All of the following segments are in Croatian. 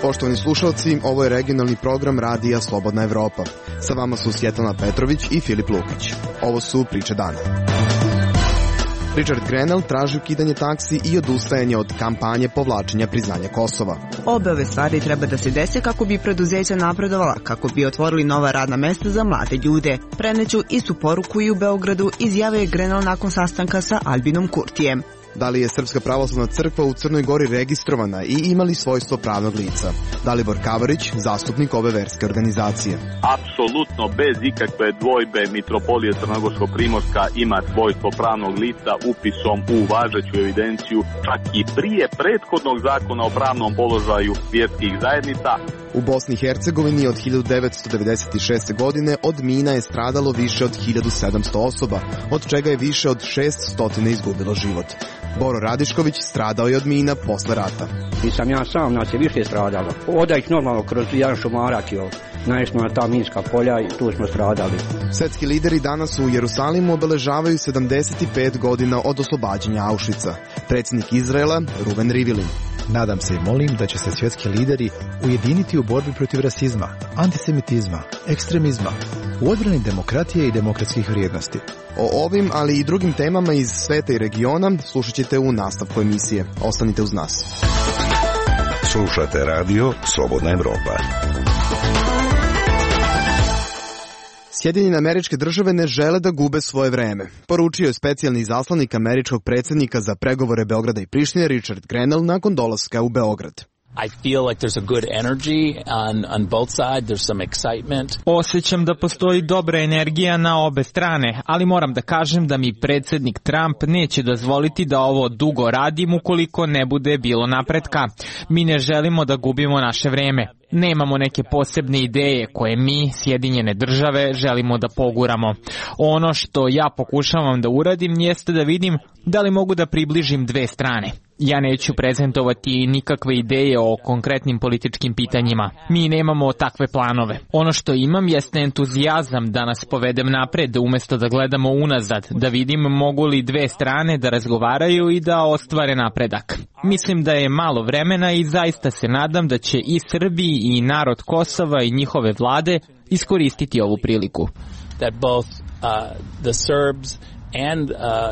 Poštovani slušalci, ovo je regionalni program Radija Slobodna Evropa. Sa vama su Svjetlana Petrović i Filip Lukić. Ovo su priče dana. Richard Grenell traži ukidanje taksi i odustajanje od kampanje povlačenja priznanja Kosova. Obe ove stvari treba da se dese kako bi preduzeća napredovala, kako bi otvorili nova radna mesta za mlade ljude. Preneću istu poruku i u Beogradu, izjavio je Grenell nakon sastanka sa Albinom Kurtijem. Da li je Srpska pravoslavna crkva u Crnoj Gori registrovana i ima li svojstvo pravnog lica? Dalibor Kavarić, zastupnik ove verske organizacije. Apsolutno, bez ikakve dvojbe, Mitropolija Crnogorsko-Primorska ima svojstvo pravnog lica upisom u važeću evidenciju, čak i prije prethodnog zakona o pravnom položaju vjerskih zajednica. U Bosni i Hercegovini od 1996. godine od mina je stradalo više od 1700 osoba, od čega je više od 600 izgubilo život. Boro Radišković stradao je od mina posle rata. Nisam ja sam, nas je više stradalo. Oda ih normalno kroz jedan šumarak, naišli na ta minska polja i tu smo stradali. Svetski lideri danas u Jerusalimu obeležavaju 75 godina od oslobađanja Auschwitza. Predsjednik Izraela Ruven Rivlin. Nadam se i molim da će se svjetski lideri ujediniti u borbi protiv rasizma, antisemitizma, ekstremizma, u odbrani demokratije i demokratskih vrijednosti. O ovim, ali i drugim temama iz sveta i regiona slušat ćete u nastavku emisije. Ostanite uz nas. Slušate radio Slobodna Evropa. Sjedinjene Američke Države ne žele da gube svoje vreme, poručio je specijalni izaslanik američkog predsjednika za pregovore Beograda i Prištine Richard Grenell nakon dolaska u Beograd. I feel like there's a good energy on both sides. There's some excitement. Osjećam da postoji dobra energija na obe strane, ali moram da kažem da mi predsjednik Trump neće dozvoliti da ovo dugo radim ukoliko ne bude bilo napretka. Mi ne želimo da gubimo naše vreme. Nemamo neke posebne ideje koje mi, Sjedinjene Države, želimo da poguramo. Ono što ja pokušavam da uradim jeste da vidim da li mogu da približim dve strane. Ja neću prezentovati nikakve ideje o konkretnim političkim pitanjima. Mi nemamo takve planove. Ono što imam jeste entuzijazam da nas povedem napred umjesto da gledamo unazad, da vidim mogu li dve strane da razgovaraju i da ostvare napredak. Mislim da je malo vremena i zaista se nadam da će i Srbiji i narod Kosova i njihove vlade iskoristiti ovu priliku. That both the Serbs and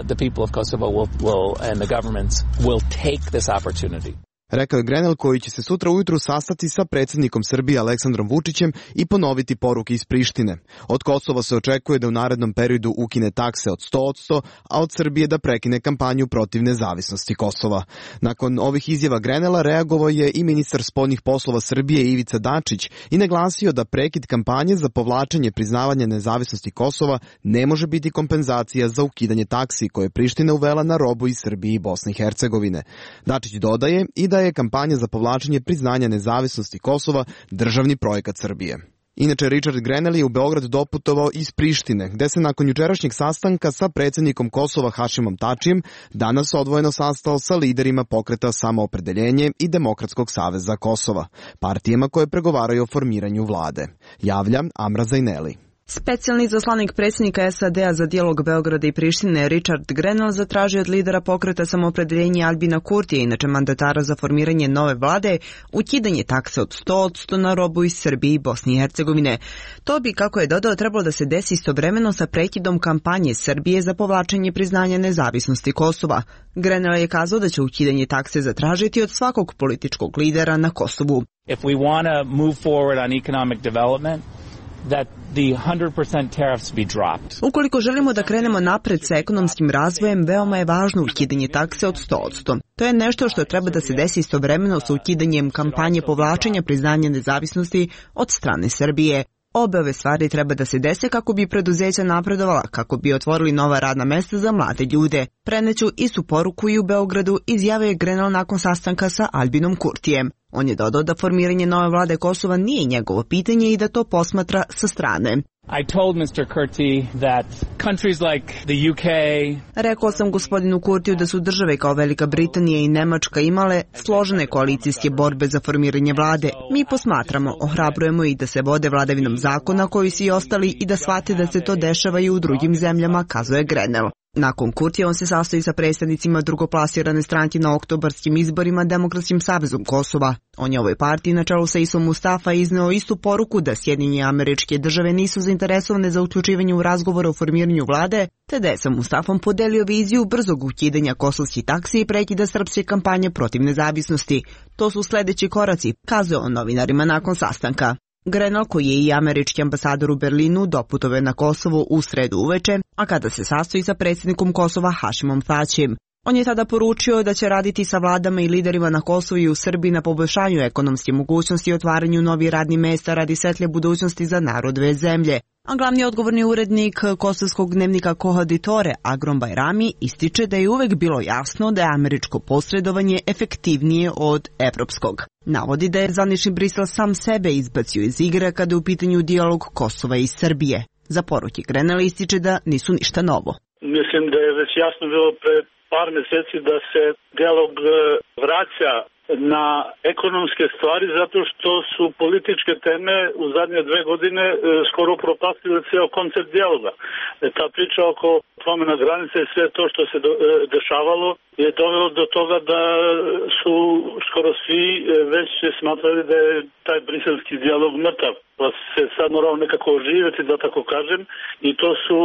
the people of Kosovo will and the governments will take this opportunity. Rekao je Grenell, koji će se sutra ujutru sastati sa predsjednikom Srbije Aleksandrom Vučićem i ponoviti poruke iz Prištine. Od Kosova se očekuje da u narednom periodu ukine takse od 100%, a od Srbije da prekine kampanju protiv nezavisnosti Kosova. Nakon ovih izjava Grenella reagovao je i ministar spoljnih poslova Srbije Ivica Dačić i naglasio da prekid kampanje za povlačenje priznavanja nezavisnosti Kosova ne može biti kompenzacija za ukidanje taksi koje je Priština uvela na robu iz Srbije i Bosne i Hercegovine. Dačić dodaje i da je kampanja za povlačenje priznanja nezavisnosti Kosova državni projekat Srbije. Inače, Richard Grenell je u Beograd doputovao iz Prištine, gde se nakon jučerašnjeg sastanka sa predsjednikom Kosova Hašimom Tačijem danas odvojeno sastao sa liderima pokreta Samoopredeljenje i Demokratskog saveza Kosova, partijama koje pregovaraju o formiranju vlade. Javlja Amra Zajneli. Specijalni izaslanik predsjednika SAD-a za dijalog Beograda i Prištine Richard Grenell zatražio od lidera pokreta Samoopredeljenje Albina Kurtija, inače mandatara za formiranje nove vlade, ukidanje takse od 100% na robu iz Srbije i Bosne i Hercegovine. To bi, kako je dodao, trebalo da se desi istovremeno sa prekidom kampanje Srbije za povlačenje priznanja nezavisnosti Kosova. Grenell je kazao da će ukidanje takse zatražiti od svakog političkog lidera na Kosovu. If we want to move forward on economic development, that the 100% tariffs be dropped. Ukoliko želimo da krenemo napred sa ekonomskim razvojem, veoma je važno ukidanje takse od 100%. To je nešto što treba da se desi istovremeno sa ukidanjem kampanje povlačenja priznanja nezavisnosti od strane Srbije. Obe ove stvari treba da se dese kako bi preduzeća napredovala, kako bi otvorili nova radna mesta za mlade ljude. Preneću istu poruku i u Beogradu, izjavio je Grenell nakon sastanka sa Albinom Kurtijem. On je dodao da formiranje nove vlade Kosova nije njegovo pitanje i da to posmatra sa strane. I told Mr. Kurti that countries like the UK... Rekao sam gospodinu Kurtiju da su države kao Velika Britanija i Nemačka imale složene koalicijske borbe za formiranje vlade. Mi posmatramo, ohrabrujemo i da se vode vladavinom zakona koji su i ostali i da shvate da se to dešava i u drugim zemljama, kazuje Grenell. Nakon Kurtija on se sastoji sa predstavnicima drugoplasirane stranke na oktobarskim izborima Demokratskim savezom Kosova. On je ovoj partiji na čelu sa Isom Mustafa izneo istu poruku da Sjedinjene Američke Države nisu zainteresovane za uključivanje u razgovore o formiranju vlade, te da je sa Mustafom podelio viziju brzog ukidanja kosovskih taksi i prekida srpske kampanje protiv nezavisnosti. To su sledeći koraci, kazao on novinarima nakon sastanka. Grenell, koji je i američki ambasador u Berlinu, doputovao na Kosovo u sredu uveče, a kada se sastoji sa predsjednikom Kosova Hašimom Tačijem. On je tada poručio da će raditi sa vladama i liderima na Kosovu i u Srbiji na poboljšanju ekonomske mogućnosti i otvaranju novih radnih mesta radi svetle budućnosti za narod dve zemlje. A glavni odgovorni urednik kosovskog dnevnika Kohaditore, Agrom Bajrami, ističe da je uvek bilo jasno da je američko posredovanje efektivnije od evropskog. Navodi da je zvanični Brisel sam sebe izbacio iz igre kada je u pitanju dijalog Kosova i Srbije. Za poruke Grenell ističe da nisu ništa novo. Mislim da je već jasno bilo pre par meseci da se dijalog vraća na ekonomske stvari zato što su političke teme u zadnje 2 godine skoro propastile ceo koncept dijaloga. Ta priča oko promjena granice i sve to što se dešavalo je dovelo do toga da su skoro svi već smatrali da je taj briselski dijalog mrtav. Pa se sad morao nekako oživjeti, da tako kažem, i to su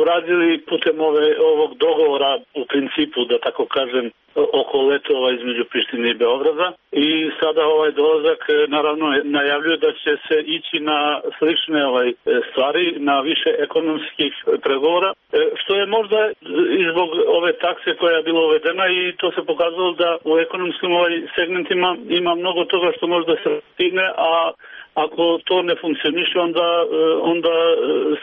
uradili putem ovog dogovora u principu, da tako kažem, oko letova između Prištine i Beograda. I sada ovaj dolazak naravno najavljuje da će se ići na slične stvari, na više ekonomskih pregovora, što je možda i zbog ove takse koja je bila uvedena i to se pokazalo da u ekonomskim segmentima ima mnogo toga što možda se stigne, a ako to ne funkcioniše, onda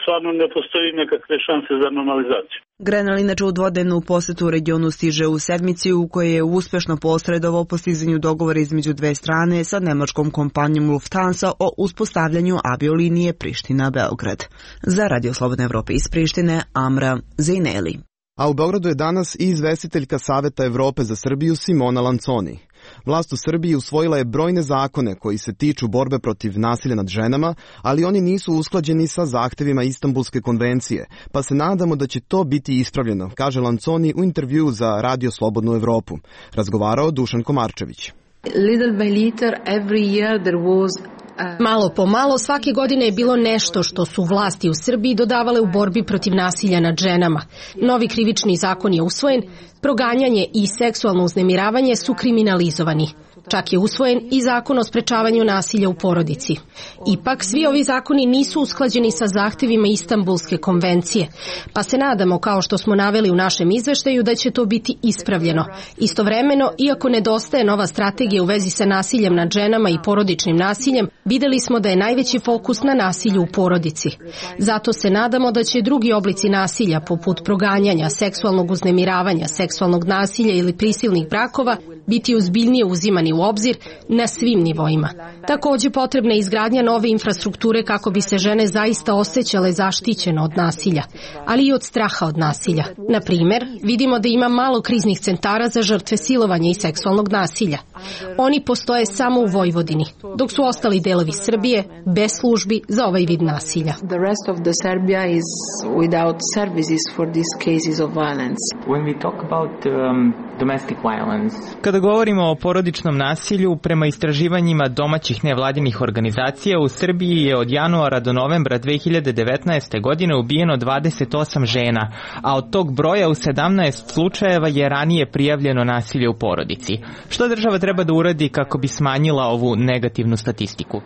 stvarno ne postoji nekakve šanse za normalizaciju. Grenell inače u dvodnevnu posetu u regionu stiže u sedmici u kojoj je uspešno posredovao postizanju dogovora između dve strane sa nemačkom kompanijom Lufthansa o uspostavljanju aviolinije Priština-Beograd. Za Radio Slobodne Evrope iz Prištine, Amra Zejneli. A u Beogradu je danas i izvestiteljka Saveta Evrope za Srbiju Simona Lanconi. Vlast u Srbiji usvojila je brojne zakone koji se tiču borbe protiv nasilja nad ženama, ali oni nisu usklađeni sa zahtevima Istanbulske konvencije, pa se nadamo da će to biti ispravljeno, kaže Lanconi u intervjuu za Radio Slobodnu Evropu. Razgovarao Dušan Komarčević. Malo po malo svake godine je bilo nešto što su vlasti u Srbiji dodavale u borbi protiv nasilja nad ženama. Novi krivični zakon je usvojen, proganjanje i seksualno uznemiravanje su kriminalizovani. Čak je usvojen i zakon o sprečavanju nasilja u porodici. Ipak, svi ovi zakoni nisu usklađeni sa zahtevima Istanbulske konvencije, pa se nadamo, kao što smo naveli u našem izveštaju, da će to biti ispravljeno. Istovremeno, iako nedostaje nova strategija u vezi sa nasiljem nad ženama i porodičnim nasiljem, videli smo da je najveći fokus na nasilju u porodici. Zato se nadamo da će drugi oblici nasilja, poput proganjanja, seksualnog uznemiravanja, seksualnog nasilja ili prisilnih brakova, biti ozbiljnije uzimani u obzir na svim nivoima. Takođe, potrebna je izgradnja nove infrastrukture kako bi se žene zaista osjećale zaštićeno od nasilja, ali i od straha od nasilja. Na primer, vidimo da ima malo kriznih centara za žrtve silovanja i seksualnog nasilja. Oni postoje samo u Vojvodini, dok su ostali delovi Srbije bez službi za ovaj vid nasilja. The rest of the Serbia is without services for these cases of violence. When we talk about domestic violence. Kada govorimo o porodičnom nasilju, prema istraživanjima domaćih nevladinih organizacija, u Srbiji je od januara do novembra 2019. godine ubijeno 28 žena, a od tog broja u 17 slučajeva je ranije prijavljeno nasilje u porodici. Što država treba da uradi kako bi smanjila ovu negativnu statistiku?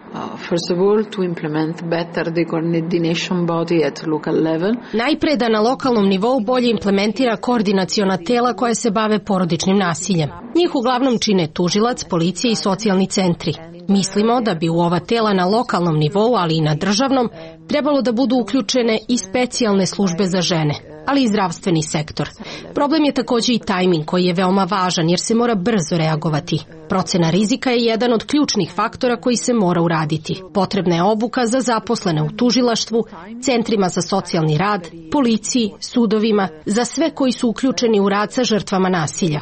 First of all, to implement better the coordination body at local level. Najpre da na lokalnom nivou bolje implementira koordinaciona tela koja se bave porodičnim nasiljem. Njih uglavnom čine tužilac, policija i socijalni centri. Mislimo da bi u ova tela na lokalnom nivou, ali i na državnom, trebalo da budu uključene i specijalne službe za žene, ali i zdravstveni sektor. Problem je takođe i tajming koji je veoma važan jer se mora brzo reagovati. Procena rizika je jedan od ključnih faktora koji se mora uraditi. Potrebna je obuka za zaposlene u tužilaštvu, centrima za socijalni rad, policiji, sudovima, za sve koji su uključeni u rad sa žrtvama nasilja.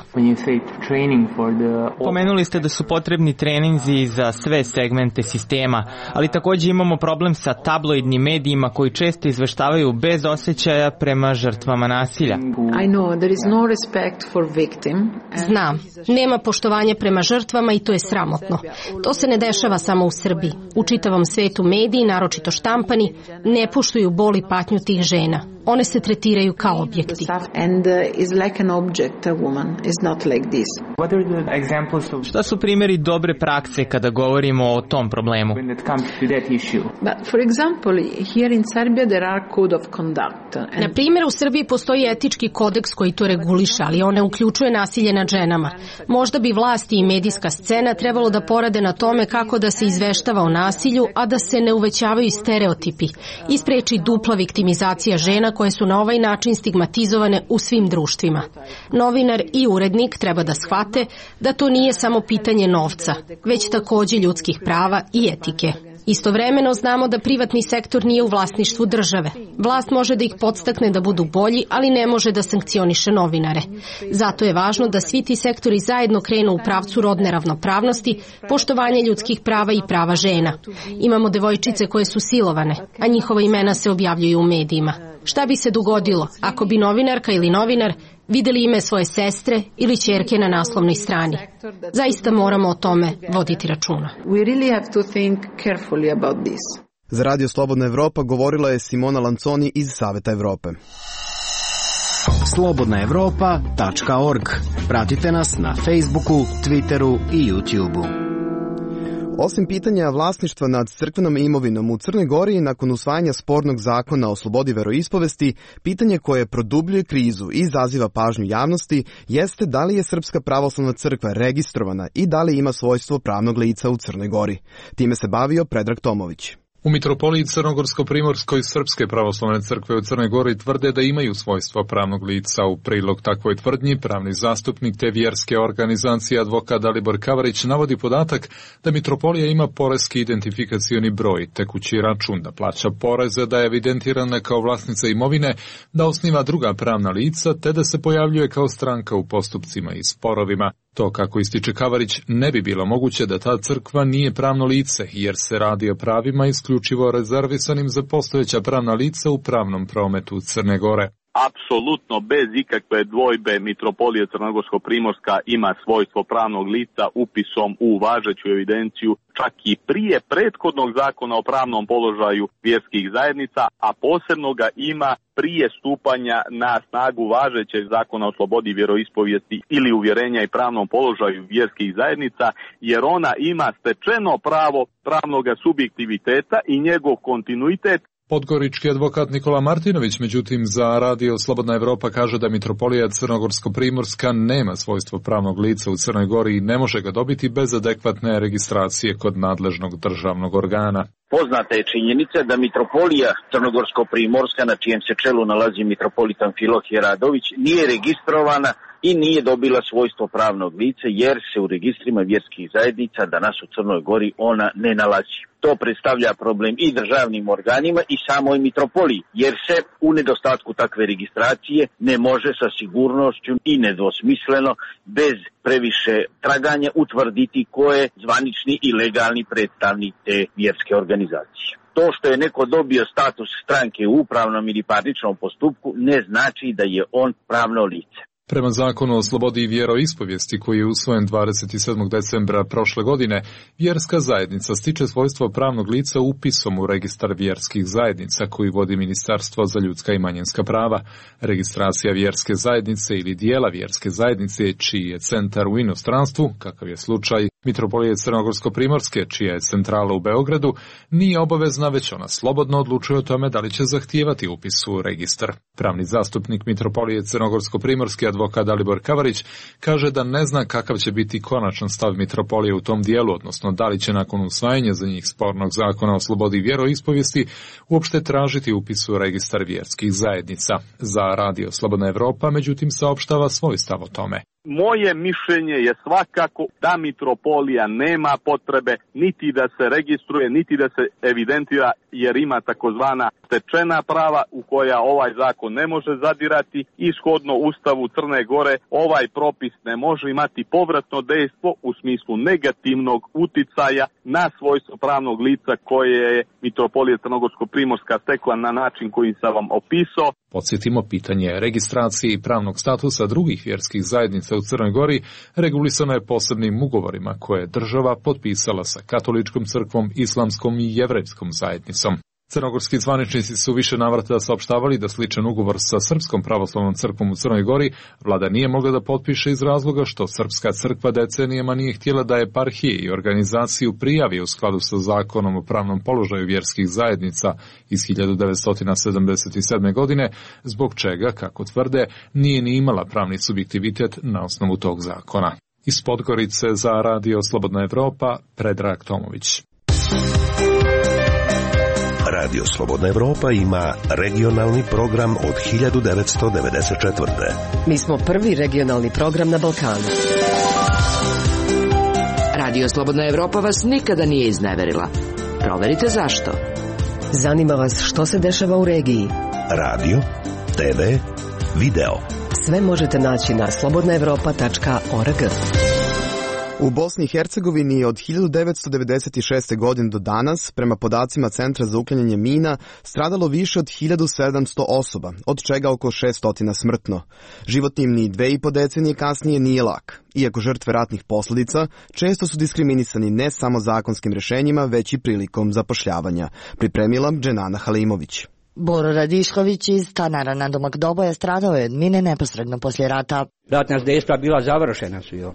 Pomenuli ste da su potrebni treninzi za sve segmente sistema, ali takođe imamo problem sa tabloidnim medijima koji često izveštavaju bez osjećaja prema žrtvama žrtvama nasilja. Znam, nema poštovanja prema žrtvama i to je sramotno. To se ne dešava samo u Srbiji. U čitavom svetu mediji, naročito štampani, ne poštuju bol i patnju tih žena. One se tretiraju kao objekti. Šta su primjeri dobre prakse kada govorimo o tom problemu? Na primjer, u Srbiji postoji etički kodeks koji to reguliše, ali on ne uključuje nasilje nad ženama. Možda bi vlasti i medijska scena trebalo da porade na tome kako da se izveštava o nasilju, a da se ne uvećavaju stereotipi i spreči dupla viktimizacija žena koje su na ovaj način stigmatizovane u svim društvima. Novinar i urednik treba da shvate da to nije samo pitanje novca, već takođe ljudskih prava i etike. Istovremeno znamo da privatni sektor nije u vlasništvu države. Vlast može da ih podstakne da budu bolji, ali ne može da sankcioniše novinare. Zato je važno da svi ti sektori zajedno krenu u pravcu rodne ravnopravnosti, poštovanja ljudskih prava i prava žena. Imamo devojčice koje su silovane, a njihova imena se objavljuju u medijima. Šta bi se dogodilo ako bi novinarka ili novinar videli ime svoje sestre ili ćerke na naslovnoj strani? Zaista moramo o tome voditi računa. Za Radio Slobodna Evropa govorila je Simona Lanconi iz Saveta Evrope. slobodnaevropa.org. Pratite nas na Facebooku, Twitteru i YouTubeu. Osim pitanja vlasništva nad crkvenom imovinom u Crnoj Gori, nakon usvajanja spornog zakona o slobodi veroispovesti, pitanje koje produbljuje krizu i izaziva pažnju javnosti jeste da li je Srpska pravoslavna crkva registrovana i da li ima svojstvo pravnog lica u Crnoj Gori. Time se bavio Predrag Tomović. U Mitropoliji Crnogorsko-Primorskoj Srpske pravoslavne crkve u Crnoj Gori tvrde da imaju svojstvo pravnog lica. U prilog takvoj tvrdnji pravni zastupnik te vjerske organizacije advokat Dalibor Kavarić navodi podatak da Mitropolija ima poreski identifikacioni broj, tekući račun, da plaća poreze, da je evidentirana kao vlasnica imovine, da osniva druga pravna lica te da se pojavljuje kao stranka u postupcima i sporovima. To, kako ističe Kavarić, ne bi bilo moguće da ta crkva nije pravno lice, jer se radi o pravima isključivo rezervisanim za postojeća pravna lica u pravnom prometu Crne Gore. Apsolutno bez ikakve dvojbe Mitropolija Crnogorsko-Primorska ima svojstvo pravnog lica upisom u važeću evidenciju čak i prije prethodnog zakona o pravnom položaju vjerskih zajednica, a posebno ga ima prije stupanja na snagu važećeg zakona o slobodi vjeroispovijesti ili uvjerenja i pravnom položaju vjerskih zajednica, jer ona ima stečeno pravo pravnog subjektiviteta i njegov kontinuitet. Podgorički advokat Nikola Martinović, međutim, za Radio Slobodna Evropa kaže da Mitropolija Crnogorsko-Primorska nema svojstvo pravnog lica u Crnoj Gori i ne može ga dobiti bez adekvatne registracije kod nadležnog državnog organa. Poznata je činjenica da Mitropolija Crnogorsko-Primorska, na čijem se čelu nalazi mitropolitan Filohije Radović, nije registrovana i nije dobila svojstvo pravnog lica, jer se u registrima vjerskih zajednica danas u Crnoj Gori ona ne nalazi. To predstavlja problem i državnim organima i samoj mitropoliji, jer se u nedostatku takve registracije ne može sa sigurnošću i nedvosmisleno, bez previše traganja, utvrditi ko je zvanični i legalni predstavnik te vjerske organizacije. To što je neko dobio status stranke u upravnom ili parničnom postupku ne znači da je on pravno lice. Prema zakonu o slobodi vjeroispovijesti koji je usvojen 27. decembra prošle godine, vjerska zajednica stiče svojstvo pravnog lica upisom u registar vjerskih zajednica koji vodi Ministarstvo za ljudska i manjinska prava. Registracija vjerske zajednice ili dijela vjerske zajednice čiji je centar u inostranstvu, kakav je slučaj Mitropolije Crnogorsko-Primorske, čija je centrala u Beogradu, nije obavezna, već ona slobodno odlučuje o tome da li će zahtijevati upis u registar. Pravni zastupnik Mitropolije Crnogorsko-Primorske advokat Dalibor Kavarić kaže da ne zna kakav će biti konačan stav Mitropolije u tom dijelu, odnosno da li će nakon usvajanja za njih spornog zakona o slobodi vjeroispovijesti uopšte tražiti upis u registar vjerskih zajednica. Za Radio Slobodna Evropa, međutim, saopštava svoj stav o tome. Moje mišljenje je svakako da Mitropolija nema potrebe niti da se registruje, niti da se evidentira, jer ima takozvana stečena prava u koja ovaj zakon ne može zadirati i shodno Ustavu Crne Gore ovaj propis ne može imati povratno dejstvo u smislu negativnog uticaja na svojstvo pravnog lica koje je Mitropolija Crnogorsko-Primorska stekla na način koji sam vam opisao. Podsjetimo, pitanje registracije i pravnog statusa drugih vjerskih zajednica u Crnoj Gori regulisano je posebnim ugovorima koje je država potpisala sa katoličkom crkvom, islamskom i jevrejskom zajednicom. Crnogorski zvaničnici su više navrata saopštavali da sličan ugovor sa Srpskom pravoslavnom crkvom u Crnoj Gori vlada nije mogla da potpiše iz razloga što Srpska crkva decenijama nije htjela da eparhije i organizaciju prijavi u skladu sa zakonom o pravnom položaju vjerskih zajednica iz 1977. godine, zbog čega, kako tvrde, nije ni imala pravni subjektivitet na osnovu tog zakona. Iz Podgorice za Radio Slobodna Evropa, Predrag Tomović. Radio Slobodna Evropa ima regionalni program od 1994. Mi smo prvi regionalni program na Balkanu. Radio Slobodna Evropa vas nikada nije izneverila. Proverite zašto. Zanima vas što se dešava u regiji. Radio, TV, video. Sve možete naći na slobodnaevropa.org. U Bosni i Hercegovini je od 1996. godine do danas, prema podacima Centra za uklanjanje mina, stradalo više od 1700 osoba, od čega oko 600 smrtno. Život im ni 2,5 decenije kasnije nije lak. Iako žrtve ratnih posljedica često su diskriminisani ne samo zakonskim rješenjima, već i prilikom zapošljavanja. Pripremila Dženana Halimović. Boro Radišković iz Stanara na domak Doboja stradao je od mine neposredno poslije rata. Ratna dejstva bila završena su joj,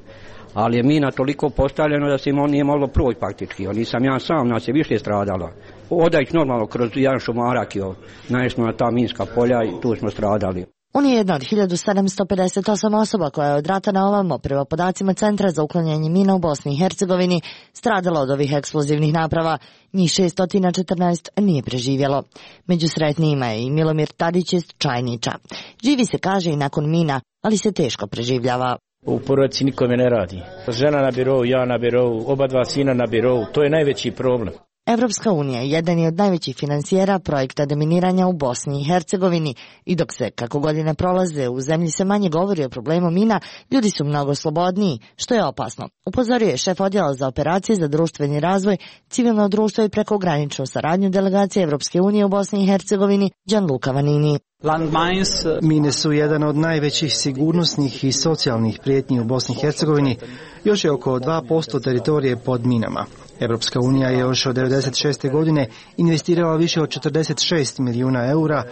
ali je mina toliko postavljena da se on nije moglo proći praktički. Nisam ja sam, nas je više stradalo. Odać normalno kroz jedan šumarak joj, naišli na ta minska polja i tu smo stradali. On je jedna od 1758 osoba koja je od rata na ovamo, prema podacima Centra za uklanjanje mina u Bosni i Hercegovini, stradala od ovih eksplozivnih naprava. Njih 614 nije preživjelo. Među sretnijima je i Milomir Tadić iz Čajniča. Živi se, kaže, i nakon mina, ali se teško preživljava. U porodici nikome ne radi. Žena na birovu, ja na birovu, oba dva sina na birovu, to je najveći problem. Evropska unija je jedan od najvećih financijera projekta deminiranja u Bosni i Hercegovini i dok se, kako godine prolaze, u zemlji se manje govori o problemu mina, ljudi su mnogo slobodniji, što je opasno. Upozorio je šef odjela za operacije za društveni razvoj, civilno društvo i prekograničnu saradnju delegacije Evropske unije u Bosni i Hercegovini, Gianluca Vanini. Mine su jedan od najvećih sigurnosnih i socijalnih prijetnji u Bosni i Hercegovini. Još je oko 2% teritorije pod minama. Evropska unija je još od 1996. godine investirala više od 46 milijuna eura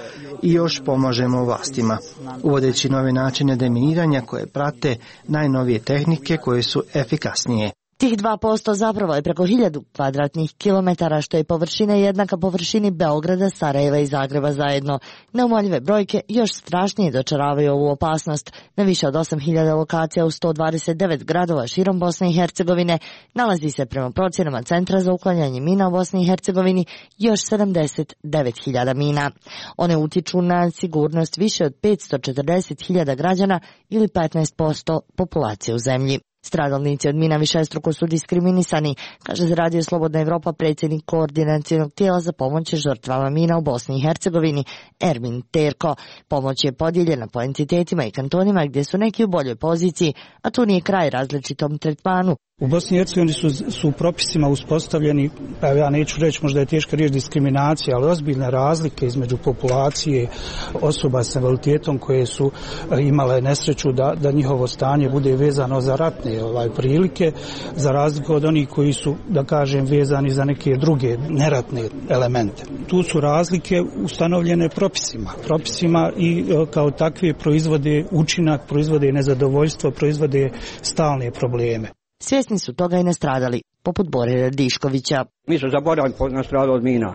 i još pomažemo vlastima, uvodeći nove načine deminiranja koje prate najnovije tehnike koje su efikasnije. Tih 2% zapravo je preko 1000 kvadratnih kilometara, što je površina jednaka površini Beograda, Sarajeva i Zagreba zajedno. Neumoljive brojke još strašnije dočaravaju ovu opasnost. Na više od 8000 lokacija u 129 gradova širom Bosne i Hercegovine nalazi se, prema procjenama Centra za uklanjanje mina u Bosni i Hercegovini, još 79.000 mina. One utiču na sigurnost više od 540.000 građana ili 15% populacije u zemlji. Stradalnici od mina višestruko su diskriminisani, kaže za Radio Slobodna Evropa predsjednik koordinacionog tijela za pomoć žrtvama mina u Bosni i Hercegovini, Ermin Terko. Pomoć je podijeljena po entitetima i kantonima gdje su neki u boljoj poziciji, a tu nije kraj različitom tretmanu. U Bosni i Hercegovini su propisima uspostavljeni, pa ja neću reći, možda je teška riječ diskriminacija, ali ozbiljne razlike između populacije osoba s invaliditetom koje su imale nesreću da njihovo stanje bude vezano za ratne prilike, za razliku od onih koji su, da kažem, vezani za neke druge neratne elemente. Tu su razlike ustanovljene propisima i kao takve proizvode učinak, proizvode nezadovoljstvo, proizvode stalne probleme. Svjesni su toga i nastradali, poput Bore Radiškovića. Mi su zaboravili nastradali od mina.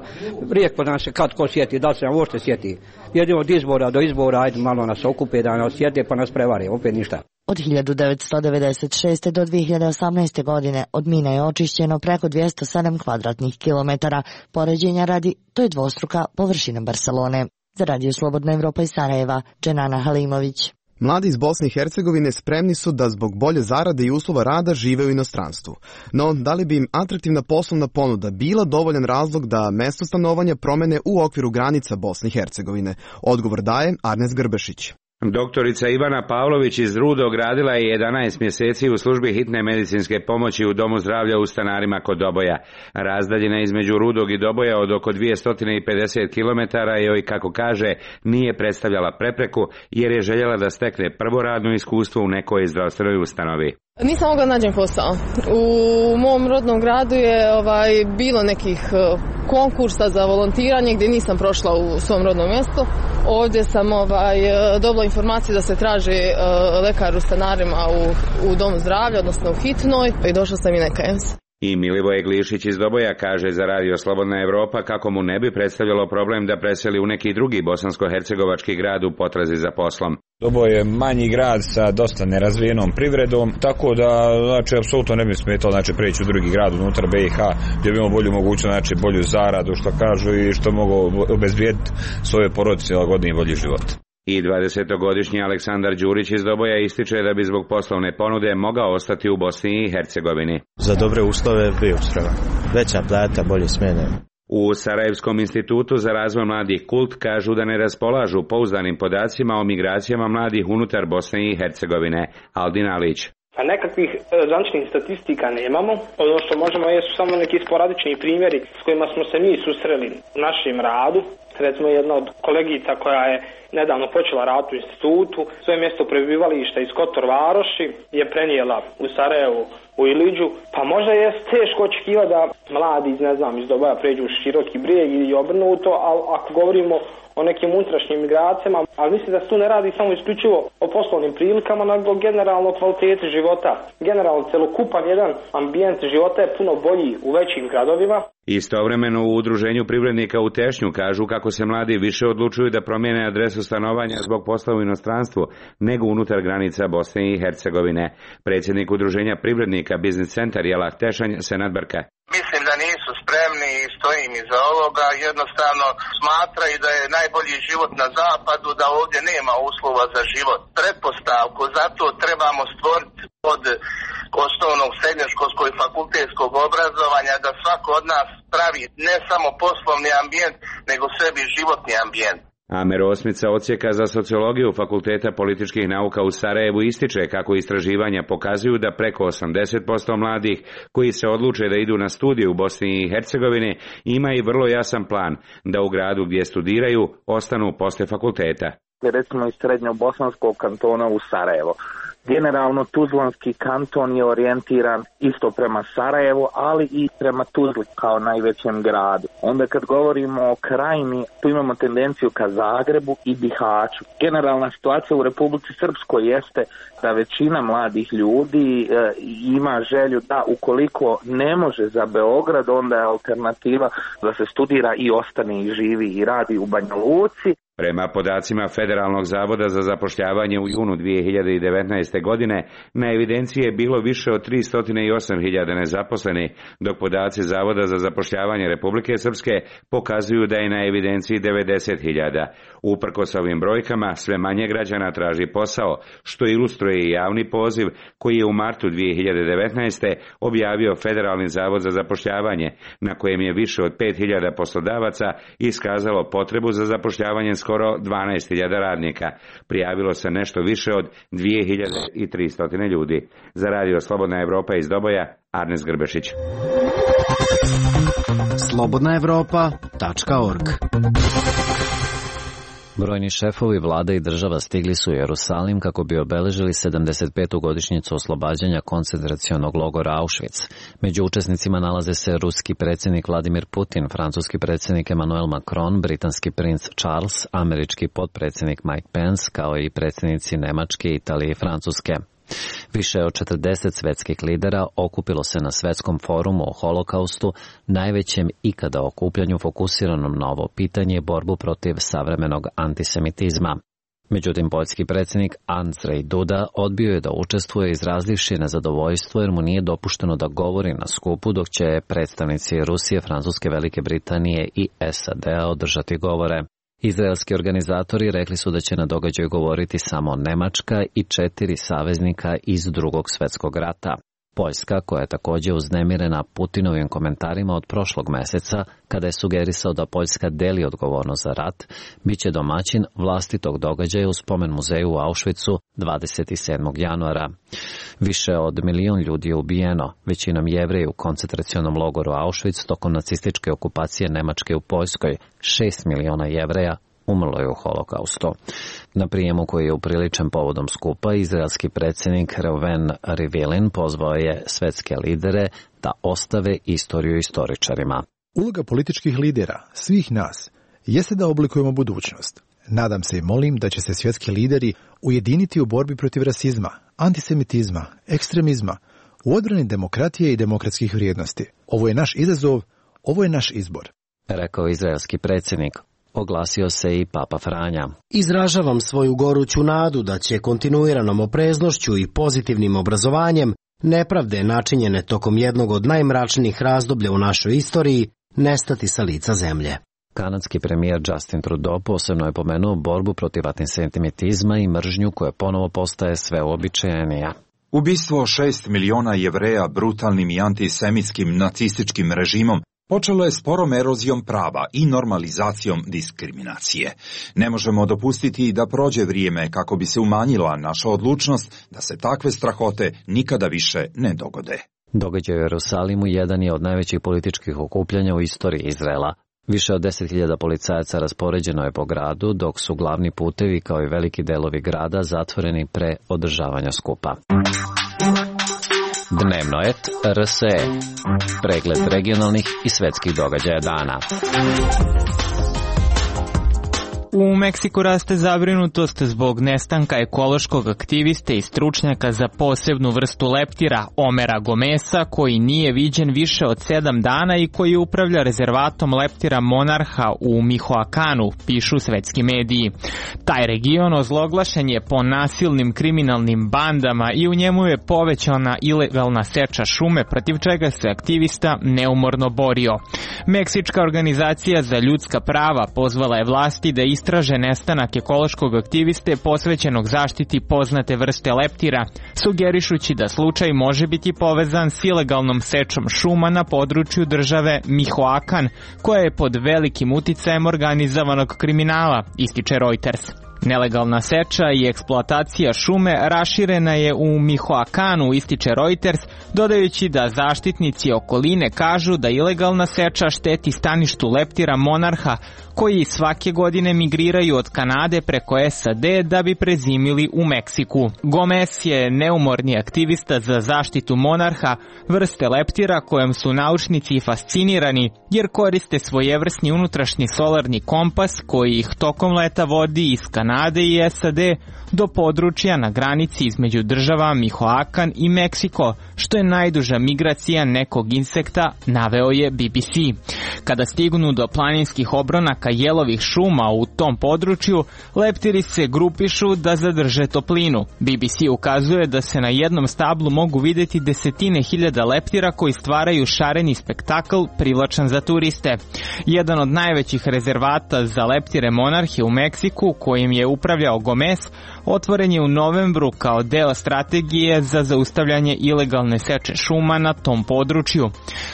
Rijetko nam se kad ko sjeti, da se nam uopšte sjeti. Jedino od izbora do izbora, ajde malo nas okupe da nas sjete pa nas prevare, opet ništa. Od 1996. do 2018. godine od mina je očišćeno preko 207 kvadratnih kilometara. Poređenja radi, to je dvostruka površina Barcelone. Za Radio Slobodna Evropa iz Sarajeva, Dženana Halimović. Mladi iz Bosne i Hercegovine spremni su da zbog bolje zarade i uslova rada žive u inostranstvu. No, da li bi im atraktivna poslovna ponuda bila dovoljan razlog da mesto stanovanja promene u okviru granica Bosne i Hercegovine? Odgovor daje Arnes Grbešić. Doktorica Ivana Pavlović iz Rudog radila je 11 mjeseci u službi hitne medicinske pomoći u Domu zdravlja u Stanarima kod Doboja. Razdaljina između Rudog i Doboja od oko 250 km joj, kako kaže, nije predstavljala prepreku jer je željela da stekne prvo radno iskustvo u nekoj zdravstvenoj ustanovi. Nisam mogla nađem posao. U mom rodnom gradu je bilo nekih konkursa za volontiranje gdje nisam prošla u svom rodnom mjestu. Ovdje sam dobila informaciju da se traži lekar u Stanarima u Domu zdravlja, odnosno u hitnoj, i došla sam i nekajem se. I Milivoje Glišić iz Doboja kaže za Radio Slobodna Evropa kako mu ne bi predstavljalo problem da preseli u neki drugi bosansko-hercegovački grad u potrazi za poslom. Doboj je manji grad sa dosta nerazvijenom privredom, tako da apsolutno ne bi smetalo preći u drugi grad unutar BiH gdje bi imao bolju mogućnost, bolju zaradu, što kažu, i što mogu obezbijediti svoje porodice lagodniji i bolji život. I 20-godišnji Aleksandar Đurić iz Doboja ističe da bi zbog poslovne ponude mogao ostati u Bosni i Hercegovini. Za dobre uslove bio spreman. Veća plata, bolje smjene. U Sarajevskom institutu za razvoj mladih Kult kažu da ne raspolažu pouzdanim podacima o migracijama mladih unutar Bosne i Hercegovine. Aldin Alić. Pa nekakvih zvaničnih statistika nemamo. Ono što možemo jesu samo neki sporadični primjeri s kojima smo se mi susreli u našem radu. Recimo jedna od kolegica koja je nedavno počela rad u institutu, svoje mjesto prebivališta iz Kotor Varoši je prenijela u Sarajevu, u Iliđu. Pa možda je teško očekivati da mladi iz Doboja pređu u Široki Brijeg i obrnuto, ali ako govorimo o nekim unutrašnjim migracijama, ali mislim da se tu ne radi samo isključivo o poslovnim prilikama, nego generalno kvaliteti života. Generalno celokupan jedan ambijent života je puno bolji u većim gradovima. Istovremeno u Udruženju privrednika u Tešnju kažu kako se mladi više odlučuju da promijene adresu stanovanja zbog posla u inostranstvu nego unutar granica Bosne i Hercegovine. Predsjednik Udruženja privrednika Biznis Centar Jelah Tešanj Senad Brka. Mislim da nisu spremni i stojim iza ovoga, jednostavno smatraju da je najbolji život na zapadu, da ovdje nema uslova za život. Pretpostavku zato trebamo stvoriti od osnovnog srednjoškolskog i fakultetskog obrazovanja da svako od nas pravi ne samo poslovni ambijent, nego sebi životni ambijent. Amer Osmica, odsjeka za sociologiju Fakulteta političkih nauka u Sarajevu, ističe kako istraživanja pokazuju da preko 80% mladih koji se odluče da idu na studije u Bosni i Hercegovini ima i vrlo jasan plan da u gradu gdje studiraju ostanu poslije fakulteta. Recimo iz srednjobosanskog kantona u Sarajevo. Generalno Tuzlanski kanton je orijentiran isto prema Sarajevu, ali i prema Tuzli kao najvećem gradu. Onda kad govorimo o krajini, tu imamo tendenciju ka Zagrebu i Bihaću. Generalna situacija u Republici Srpskoj jeste da većina mladih ljudi ima želju da ukoliko ne može za Beograd, onda je alternativa da se studira i ostane i živi i radi u Banja Luci. Prema podacima Federalnog zavoda za zapošljavanje u junu 2019. godine na evidenciji je bilo više od 308.000 nezaposlenih, dok podaci Zavoda za zapošljavanje Republike Srpske pokazuju da je na evidenciji 90.000. Uprkos ovim brojkama, sve manje građana traži posao, što ilustruje i javni poziv koji je u martu 2019. objavio Federalni zavod za zapošljavanje, na kojem je više od 5.000 poslodavaca iskazalo potrebu za zapošljavanje skoro 12.000 radnika. Prijavilo se nešto više od 2.300 ljudi. Za Radio Slobodna Evropa iz Doboja, Arnes Grbešić. slobodnaevropa.org. Brojni šefovi vlada i država stigli su u Jerusalim kako bi obeležili 75. godišnjicu oslobađanja koncentracionog logora Auschwitz. Među učesnicima nalaze se ruski predsjednik Vladimir Putin, francuski predsjednik Emmanuel Macron, britanski princ Charles, američki potpredsjednik Mike Pence, kao i predsjednici Nemačke, Italije i Francuske. Više od 40 svjetskih lidera okupilo se na svjetskom forumu o holokaustu, najvećem ikada okupljanju fokusiranom na ovo pitanje, borbu protiv savremenog antisemitizma. Međutim, poljski predsjednik Andrzej Duda odbio je da učestvuje, izrazivši nezadovoljstvo jer mu nije dopušteno da govori na skupu, dok će predstavnici Rusije, Francuske, Velike Britanije i SAD-a održati govore. Izraelski organizatori rekli su da će na događaju govoriti samo Nemačka i 4 saveznika iz Drugog svjetskog rata. Poljska, koja je također uznemirena Putinovim komentarima od prošlog meseca, kada je sugerisao da Poljska deli odgovornost za rat, bit će domaćin vlastitog događaja u spomen muzeju u Auschwitzu 27. januara. Više od 1 milion ljudi je ubijeno, većinom Jevreji u koncentracionom logoru Auschwitz tokom nacističke okupacije Nemačke u Poljskoj. 6 miliona Jevreja umrlo je u holokaustu. Na prijemu koji je upriličen povodom skupa, izraelski predsjednik Reuven Rivlin pozvao je svetske lidere da ostave istoriju istoričarima. Uloga političkih lidera, svih nas, jeste da oblikujemo budućnost. Nadam se i molim da će se svjetski lideri ujediniti u borbi protiv rasizma, antisemitizma, ekstremizma, u odbrani demokratije i demokratskih vrijednosti. Ovo je naš izazov, ovo je naš izbor. Rekao izraelski predsjednik. Oglasio se i Papa Franja. Izražavam svoju goruću nadu da će kontinuiranom opreznošću i pozitivnim obrazovanjem nepravde načinjene tokom jednog od najmračnijih razdoblja u našoj istoriji nestati sa lica zemlje. Kanadski premijer Justin Trudeau posebno je pomenuo borbu protiv antisemitizma i mržnju koja ponovo postaje sve uobičajenija. Ubistvo 6 miliona Jevreja brutalnim i antisemitskim nacističkim režimom počelo je sporom erozijom prava i normalizacijom diskriminacije. Ne možemo dopustiti da prođe vrijeme kako bi se umanjila naša odlučnost da se takve strahote nikada više ne dogode. Događaj u Jerusalimu jedan je od najvećih političkih okupljanja u istoriji Izraela. Više od 10.000 policajaca raspoređeno je po gradu, dok su glavni putevi kao i veliki delovi grada zatvoreni pre održavanja skupa. Dnevnoet RSE. Pregled regionalnih i svetskih događaja dana. U Meksiku raste zabrinutost zbog nestanka ekološkog aktiviste i stručnjaka za posebnu vrstu leptira, Omera Gomesa, koji nije viđen više od 7 dana i koji upravlja rezervatom leptira Monarha u Mihoakanu, pišu svetski mediji. Taj region ozloglašen je po nasilnim kriminalnim bandama i u njemu je povećana ilegalna seča šume, protiv čega se aktivista neumorno borio. Meksička organizacija za ljudska prava pozvala je vlasti da istraže nestanak ekološkog aktiviste posvećenog zaštiti poznate vrste leptira, sugerišući da slučaj može biti povezan s ilegalnom sečom šuma na području države Mihoacan, koja je pod velikim uticajem organizovanog kriminala, ističe Reuters. Nelegalna seča i eksploatacija šume raširena je u Mihoakanu, ističe Reuters, dodajući da zaštitnici okoline kažu da ilegalna seča šteti staništu leptira Monarha, koji svake godine migriraju od Kanade preko SAD da bi prezimili u Meksiku. Gomez je neumorni aktivista za zaštitu Monarha, vrste leptira kojem su naučnici fascinirani jer koriste svojevrsni unutrašnji solarni kompas koji ih tokom leta vodi iz Kanade i SAD do područja na granici između država Mihoacan i Meksiko, što je najduža migracija nekog insekta, naveo je BBC. Kada stignu do planinskih obronaka jelovih šuma u tom području, leptiri se grupišu da zadrže toplinu. BBC ukazuje da se na jednom stablu mogu vidjeti desetine hiljada leptira koji stvaraju šareni spektakl privlačan za turiste. Jedan od najvećih rezervata za leptire Monarhe u Meksiku, kojim je upravljao Gomez, otvoren je u novembru kao deo strategije za zaustavljanje ilegalne seče šuma na tom području.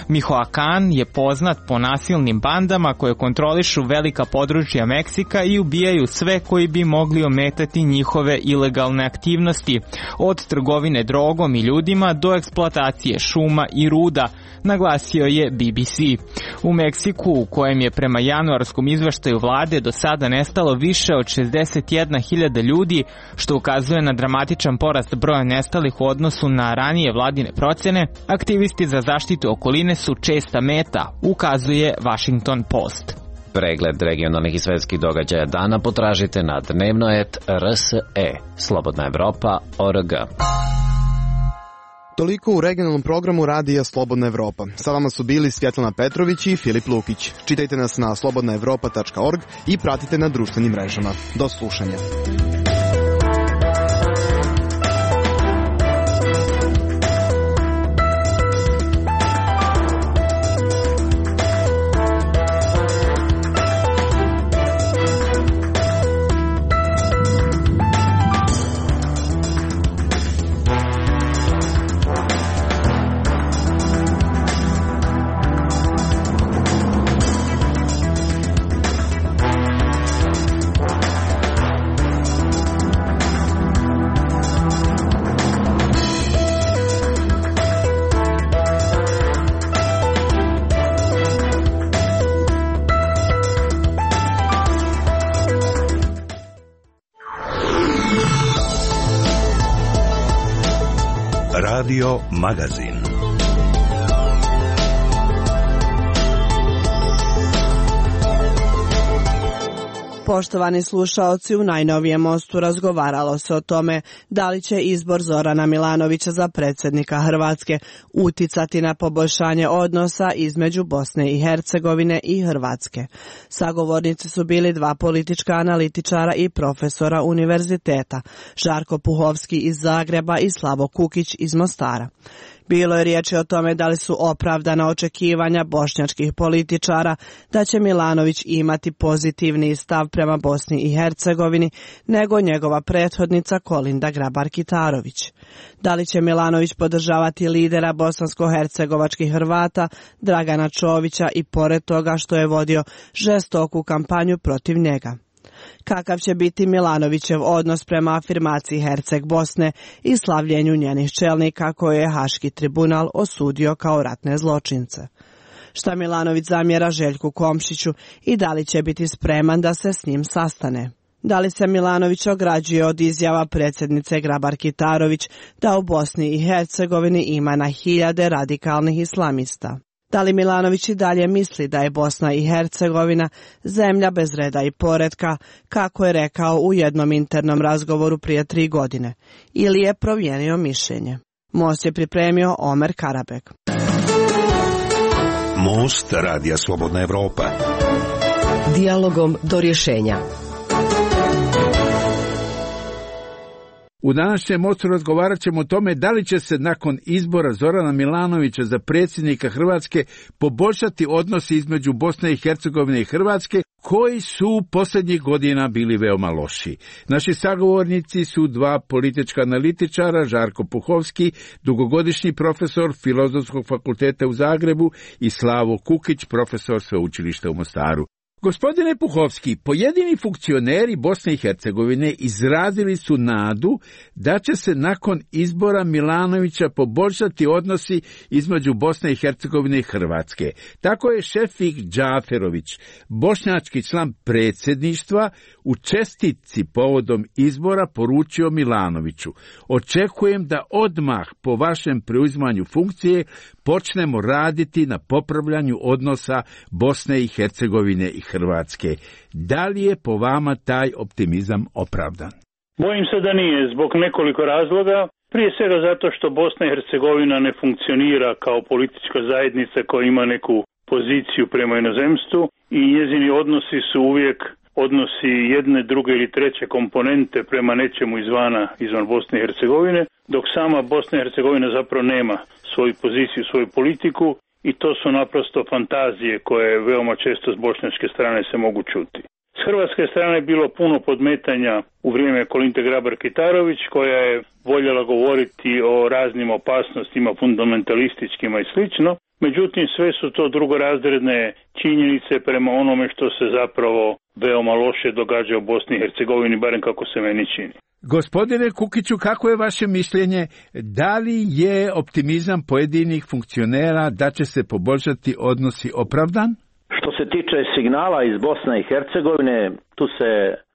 Mihoacan je poznat po nasilnim bandama koje kontrolišu velika područja Meksika i ubijaju sve koji bi mogli ometati njihove ilegalne aktivnosti, od trgovine drogom i ljudima do eksploatacije šuma i ruda, naglasio je BBC. U Meksiku, u kojem je prema januarskom izveštaju vlade do sada nestalo više od 61.000 ljudi, što ukazuje na dramatičan porast broja nestalih u odnosu na ranije vladine procene, aktivisti za zaštitu okoline su česta meta, ukazuje Washington Post. Pregled regionalnih i svetskih događaja dana potražite na dnevnoet RSE, slobodnaevropa.org. Toliko u regionalnom programu radija Slobodna Evropa. Sa vama su bili Svjetlana Petrović i Filip Lukić. Čitajte nas na slobodnaevropa.org i pratite na društvenim mrežama. Do slušanja. Radio Magazin. Poštovani slušaoci, u najnovijem mostu razgovaralo se o tome da li će izbor Zorana Milanovića za predsjednika Hrvatske uticati na poboljšanje odnosa između Bosne i Hercegovine i Hrvatske. Sagovornici su bili dva politička analitičara i profesora univerziteta, Žarko Puhovski iz Zagreba i Slavo Kukić iz Mostara. Bilo je riječi o tome da li su opravdana očekivanja bošnjačkih političara da će Milanović imati pozitivniji stav prema Bosni i Hercegovini nego njegova prethodnica Kolinda Grabar-Kitarović. Da li će Milanović podržavati lidera bosansko-hercegovačkih Hrvata Dragana Čovića i pored toga što je vodio žestoku kampanju protiv njega? Kakav će biti Milanovićev odnos prema afirmaciji Herceg Bosne i slavljenju njenih čelnika koje je Haški tribunal osudio kao ratne zločince? Šta Milanović zamjera Željku Komšiću i da li će biti spreman da se s njim sastane? Da li se Milanović ograđuje od izjava predsjednice Grabar-Kitarović da u Bosni i Hercegovini ima na hiljade radikalnih islamista? Da li Milanović i dalje misli da je Bosna i Hercegovina zemlja bez reda i poretka, kako je rekao u jednom internom razgovoru prije 3 godine, ili je promijenio mišljenje? Most je pripremio Omer Karabek. Most Radija Slobodna Evropa. Dijalogom do rješenja. U današnjem mostu razgovarat ćemo o tome da li će se nakon izbora Zorana Milanovića za predsjednika Hrvatske poboljšati odnosi između Bosne i Hercegovine i Hrvatske, koji su posljednjih godina bili veoma loši. Naši sagovornici su dva politička analitičara, Žarko Puhovski, dugogodišnji profesor Filozofskog fakulteta u Zagrebu, i Slavo Kukić, profesor Sveučilišta u Mostaru. Gospodine Puhovski, pojedini funkcioneri Bosne i Hercegovine izrazili su nadu da će se nakon izbora Milanovića poboljšati odnosi između Bosne i Hercegovine i Hrvatske. Tako je Šefik Džaferović, bošnjački član predsjedništva, u čestitci povodom izbora poručio Milanoviću: očekujem da odmah po vašem preuzimanju funkcije počnemo raditi na popravljanju odnosa Bosne i Hercegovine i Hrvatske. Da li je po vama taj optimizam opravdan? Bojim se da nije, zbog nekoliko razloga. Prije svega zato što Bosna i Hercegovina ne funkcionira kao politička zajednica koja ima neku poziciju prema inozemstvu i njezini odnosi su uvijek odnosi jedne, druge ili treće komponente prema nečemu izvan Bosne i Hercegovine, dok sama Bosna i Hercegovina zapravo nema svoju poziciju, svoju politiku, i to su naprosto fantazije koje veoma često s bošnjačke strane se mogu čuti. S hrvatske strane je bilo puno podmetanja u vrijeme Kolinde Grabar-Kitarović, koja je voljela govoriti o raznim opasnostima, fundamentalističkima i slično. Međutim, sve su to drugorazredne činjenice prema onome što se zapravo veoma loše događa u Bosni i Hercegovini, barem kako se meni čini. Gospodine Kukiću, kako je vaše mišljenje? Da li je optimizam pojedinih funkcionera da će se poboljšati odnosi opravdan? Što se tiče signala iz Bosne i Hercegovine, tu se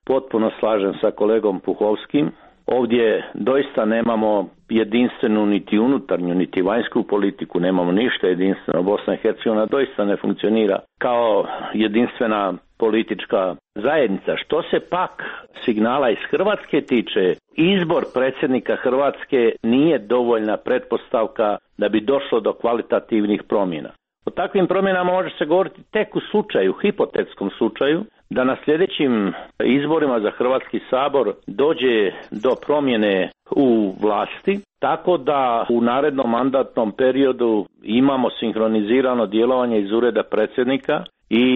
potpuno slažem sa kolegom Puhovskim. Ovdje doista nemamo jedinstvenu niti unutarnju niti vanjsku politiku, nemamo ništa jedinstveno. Bosna i Hercegovina doista ne funkcionira kao jedinstvena politička zajednica. Što se pak signala iz Hrvatske tiče, izbor predsjednika Hrvatske nije dovoljna pretpostavka da bi došlo do kvalitativnih promjena. O takvim promjenama može se govoriti tek u slučaju, hipotetskom slučaju, da na sljedećim izborima za Hrvatski sabor dođe do promjene u vlasti, tako da u narednom mandatnom periodu imamo sinhronizirano djelovanje iz ureda predsjednika i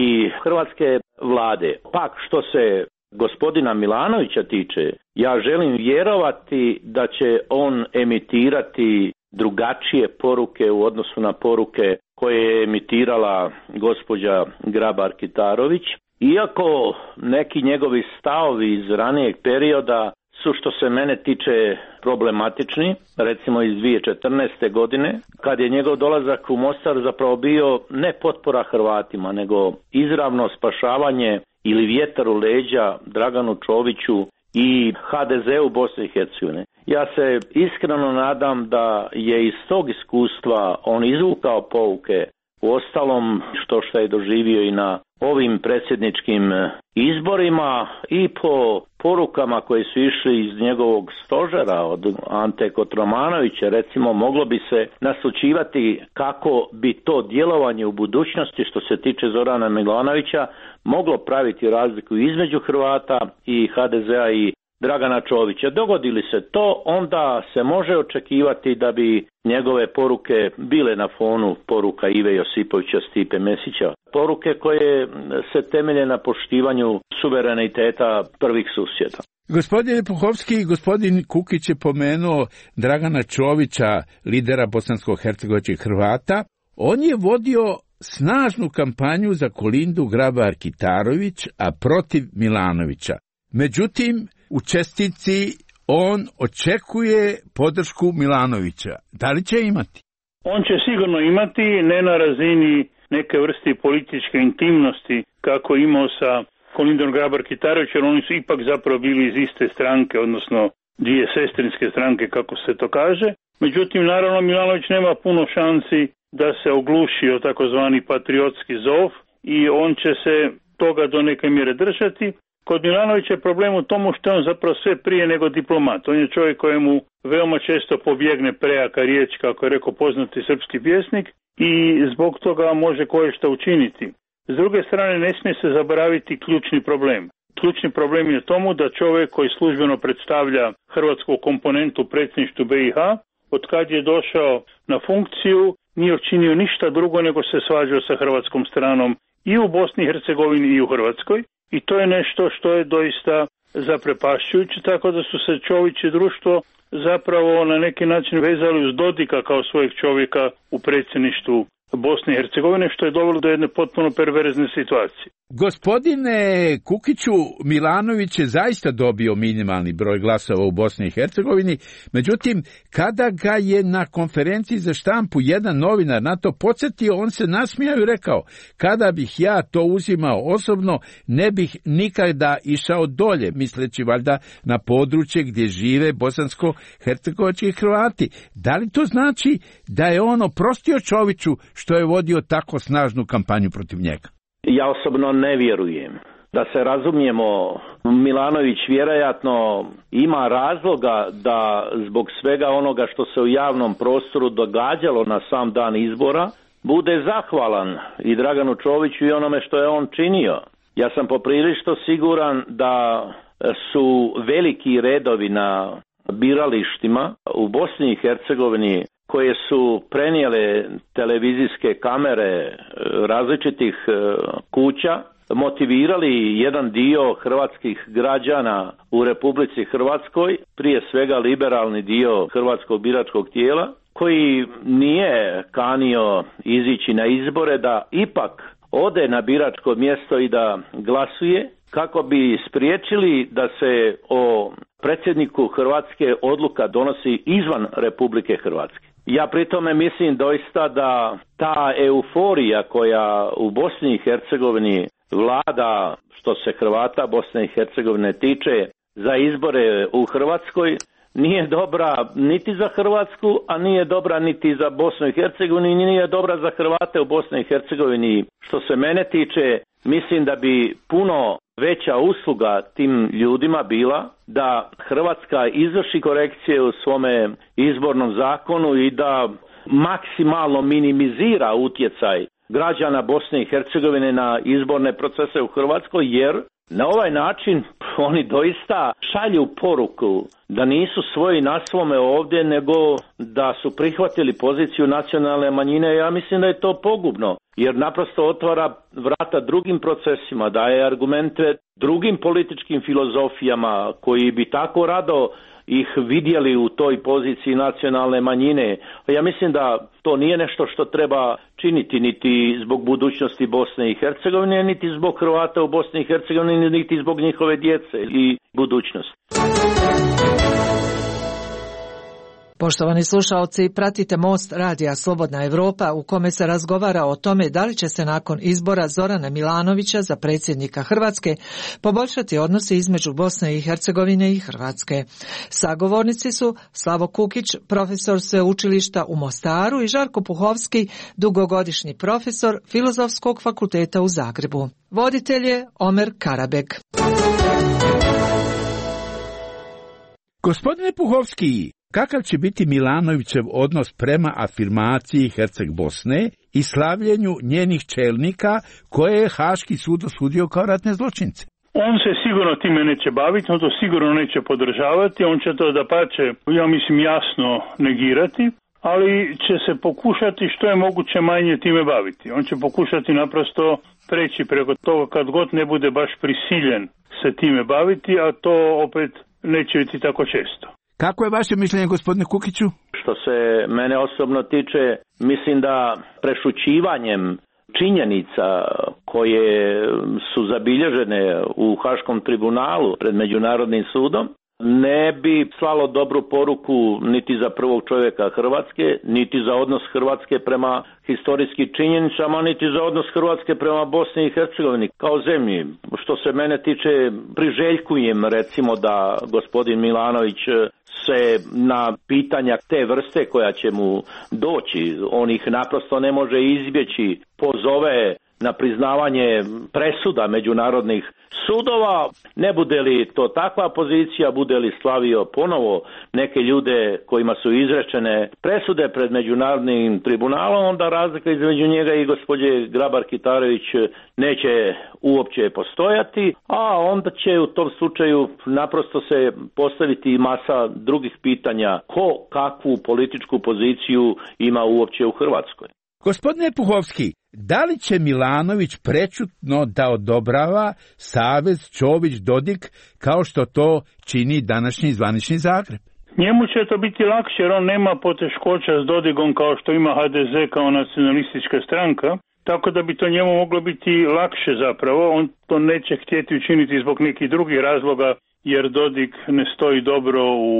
hrvatske vlade. Pak što se gospodina Milanovića tiče, ja želim vjerovati da će on emitirati drugačije poruke u odnosu na poruke koje je emitirala gospođa Grabar-Kitarović. Iako neki njegovi stavovi iz ranijeg perioda su, što se mene tiče, problematični, recimo iz 2014. godine, kad je njegov dolazak u Mostar zapravo bio ne potpora Hrvatima, nego izravno spašavanje ili vjetar u leđa Draganu Čoviću i HDZ-u Bosne i Hercegovine. Ja se iskreno nadam da je iz tog iskustva on izvukao pouke, uostalom što je doživio i na ovim predsjedničkim izborima i po porukama koje su išli iz njegovog stožera od Ante Kotromanovića, recimo moglo bi se naslućivati kako bi to djelovanje u budućnosti što se tiče Zorana Milanovića moglo praviti razliku između Hrvata i HDZ-a i Dragana Čovića. Dogodili se to, onda se može očekivati da bi njegove poruke bile na fonu poruka Ive Josipovića, Stipe Mesića. Poruke koje se temelje na poštivanju suvereniteta prvih susjeda. Gospodin Puhovski i gospodin Kukić je pomenuo Dragana Čovića, lidera bosansko-hercegovačkih Hrvata. On je vodio snažnu kampanju za Kolindu Grabar-Kitarović, a protiv Milanovića. Međutim, u čestitci on očekuje podršku Milanovića. Da li će imati? On će sigurno imati, ne na razini neke vrste političke intimnosti kako imao sa Kolindom Grabar-Kitarović, jer oni su ipak zapravo bili iz iste stranke, odnosno dvije sestrinske stranke, kako se to kaže. Međutim, naravno, Milanović nema puno šansi da se ogluši o takozvani patriotski zov i on će se toga do neke mjere držati. Kod Milanovića je problem u tomu što je on zapravo sve prije nego diplomat. On je čovjek kojemu veoma često pobjegne prejaka riječ, kako je rekao poznati srpski pjesnik, i zbog toga može koješta učiniti. S druge strane, ne smije se zaboraviti ključni problem. Ključni problem je tomu da čovjek koji službeno predstavlja hrvatsku komponentu u predsjedništvu BiH, od kad je došao na funkciju, nije učinio ništa drugo nego se svađao sa hrvatskom stranom i u Bosni i Hercegovini i u Hrvatskoj. I to je nešto što je doista zaprepašćujuće, tako da su se Čović i društvo zapravo na neki način vezali uz Dodika kao svojeg čovjeka u predsjedništvu Bosne i Hercegovine, što je dovelo do jedne potpuno perverzne situacije. Gospodine Kukiću, Milanović je zaista dobio minimalni broj glasova u Bosni i Hercegovini, međutim, kada ga je na konferenciji za štampu jedan novinar na to podsjetio, on se nasmijao i rekao: kada bih ja to uzimao osobno, ne bih nikada išao dolje, misleći valjda na područje gdje žive bosansko-hercegovački Hrvati. Da li to znači da je on oprostio Čoviću što je vodio tako snažnu kampanju protiv njega? Ja osobno ne vjerujem. Da se razumijemo, Milanović vjerojatno ima razloga da zbog svega onoga što se u javnom prostoru događalo na sam dan izbora, bude zahvalan i Draganu Čoviću i onome što je on činio. Ja sam poprilično siguran da su veliki redovi na biralištima u Bosni i Hercegovini koje su prenijele televizijske kamere različitih kuća, motivirali jedan dio hrvatskih građana u Republici Hrvatskoj, prije svega liberalni dio hrvatskog biračkog tijela, koji nije kanio izići na izbore, da ipak ode na biračko mjesto i da glasuje, kako bi spriječili da se o predsjedniku Hrvatske odluka donosi izvan Republike Hrvatske. Ja pri tome mislim doista da ta euforija koja u Bosni i Hercegovini vlada što se Hrvata Bosne i Hercegovine tiče za izbore u Hrvatskoj nije dobra niti za Hrvatsku, a nije dobra niti za Bosnu i Hercegovinu i nije dobra za Hrvate u Bosni i Hercegovini. Što se mene tiče, mislim da bi puno veća usluga tim ljudima bila da Hrvatska izvrši korekcije u svome izbornom zakonu i da maksimalno minimizira utjecaj građana Bosne i Hercegovine na izborne procese u Hrvatskoj, jer na ovaj način oni doista šalju poruku da nisu svoji na svome ovdje, nego da su prihvatili poziciju nacionalne manjine. Ja mislim da je to pogubno, jer naprosto otvara vrata drugim procesima, daje argumente drugim političkim filozofijama koji bi tako rado ih vidjeli u toj poziciji nacionalne manjine. Ja mislim da to nije nešto što treba činiti niti zbog budućnosti Bosne i Hercegovine, niti zbog Hrvata u Bosni i Hercegovini, niti zbog njihove djece i budućnosti. Poštovani slušaoci, pratite Most radija Slobodna Evropa u kome se razgovara o tome da li će se nakon izbora Zorana Milanovića za predsjednika Hrvatske poboljšati odnosi između Bosne i Hercegovine i Hrvatske. Sagovornici su Slavo Kukić, profesor sveučilišta u Mostaru, i Žarko Puhovski, dugogodišnji profesor Filozofskog fakulteta u Zagrebu. Voditelj je Omer Karabek. Gospodine Puhovski, kakav će biti Milanovićev odnos prema afirmaciji Herceg Bosne i slavljenju njenih čelnika koje je Haški sud osudio kao ratne zločince? On se sigurno time neće baviti, on to sigurno neće podržavati, on će to dapače, ja mislim, jasno negirati, ali će se pokušati što je moguće manje time baviti. On će pokušati naprosto preći preko toga kad god ne bude baš prisiljen se time baviti, a to opet neće biti tako često. Kako je vaše mišljenje, gospodine Kukiću? Što se mene osobno tiče, mislim da prešućivanjem činjenica koje su zabilježene u Haškom tribunalu pred Međunarodnim sudom ne bi slalo dobru poruku niti za prvog čovjeka Hrvatske, niti za odnos Hrvatske prema historijskim činjenicama, niti za odnos Hrvatske prema Bosni i Hercegovini kao zemlji. Što se mene tiče, priželjkujem recimo da gospodin Milanović se na pitanja te vrste koja će mu doći, on ih naprosto ne može izbjeći, pozove na priznavanje presuda međunarodnih sudova. Ne bude li to takva pozicija, bude li slavio ponovo neke ljude kojima su izrečene presude pred Međunarodnim tribunalom, onda razlika između njega i gospođe Grabar-Kitarović neće uopće postojati, a onda će u tom slučaju naprosto se postaviti masa drugih pitanja ko kakvu političku poziciju ima uopće u Hrvatskoj. Gospodine Puhovski, da li će Milanović prečutno da odobrava savez Čović-Dodik kao što to čini današnji zvanični Zagreb? Njemu će to biti lakše jer on nema poteškoća s Dodigom kao što ima HDZ kao nacionalistička stranka, tako da bi to njemu moglo biti lakše zapravo. On to neće htjeti učiniti zbog nekih drugih razloga jer Dodik ne stoji dobro u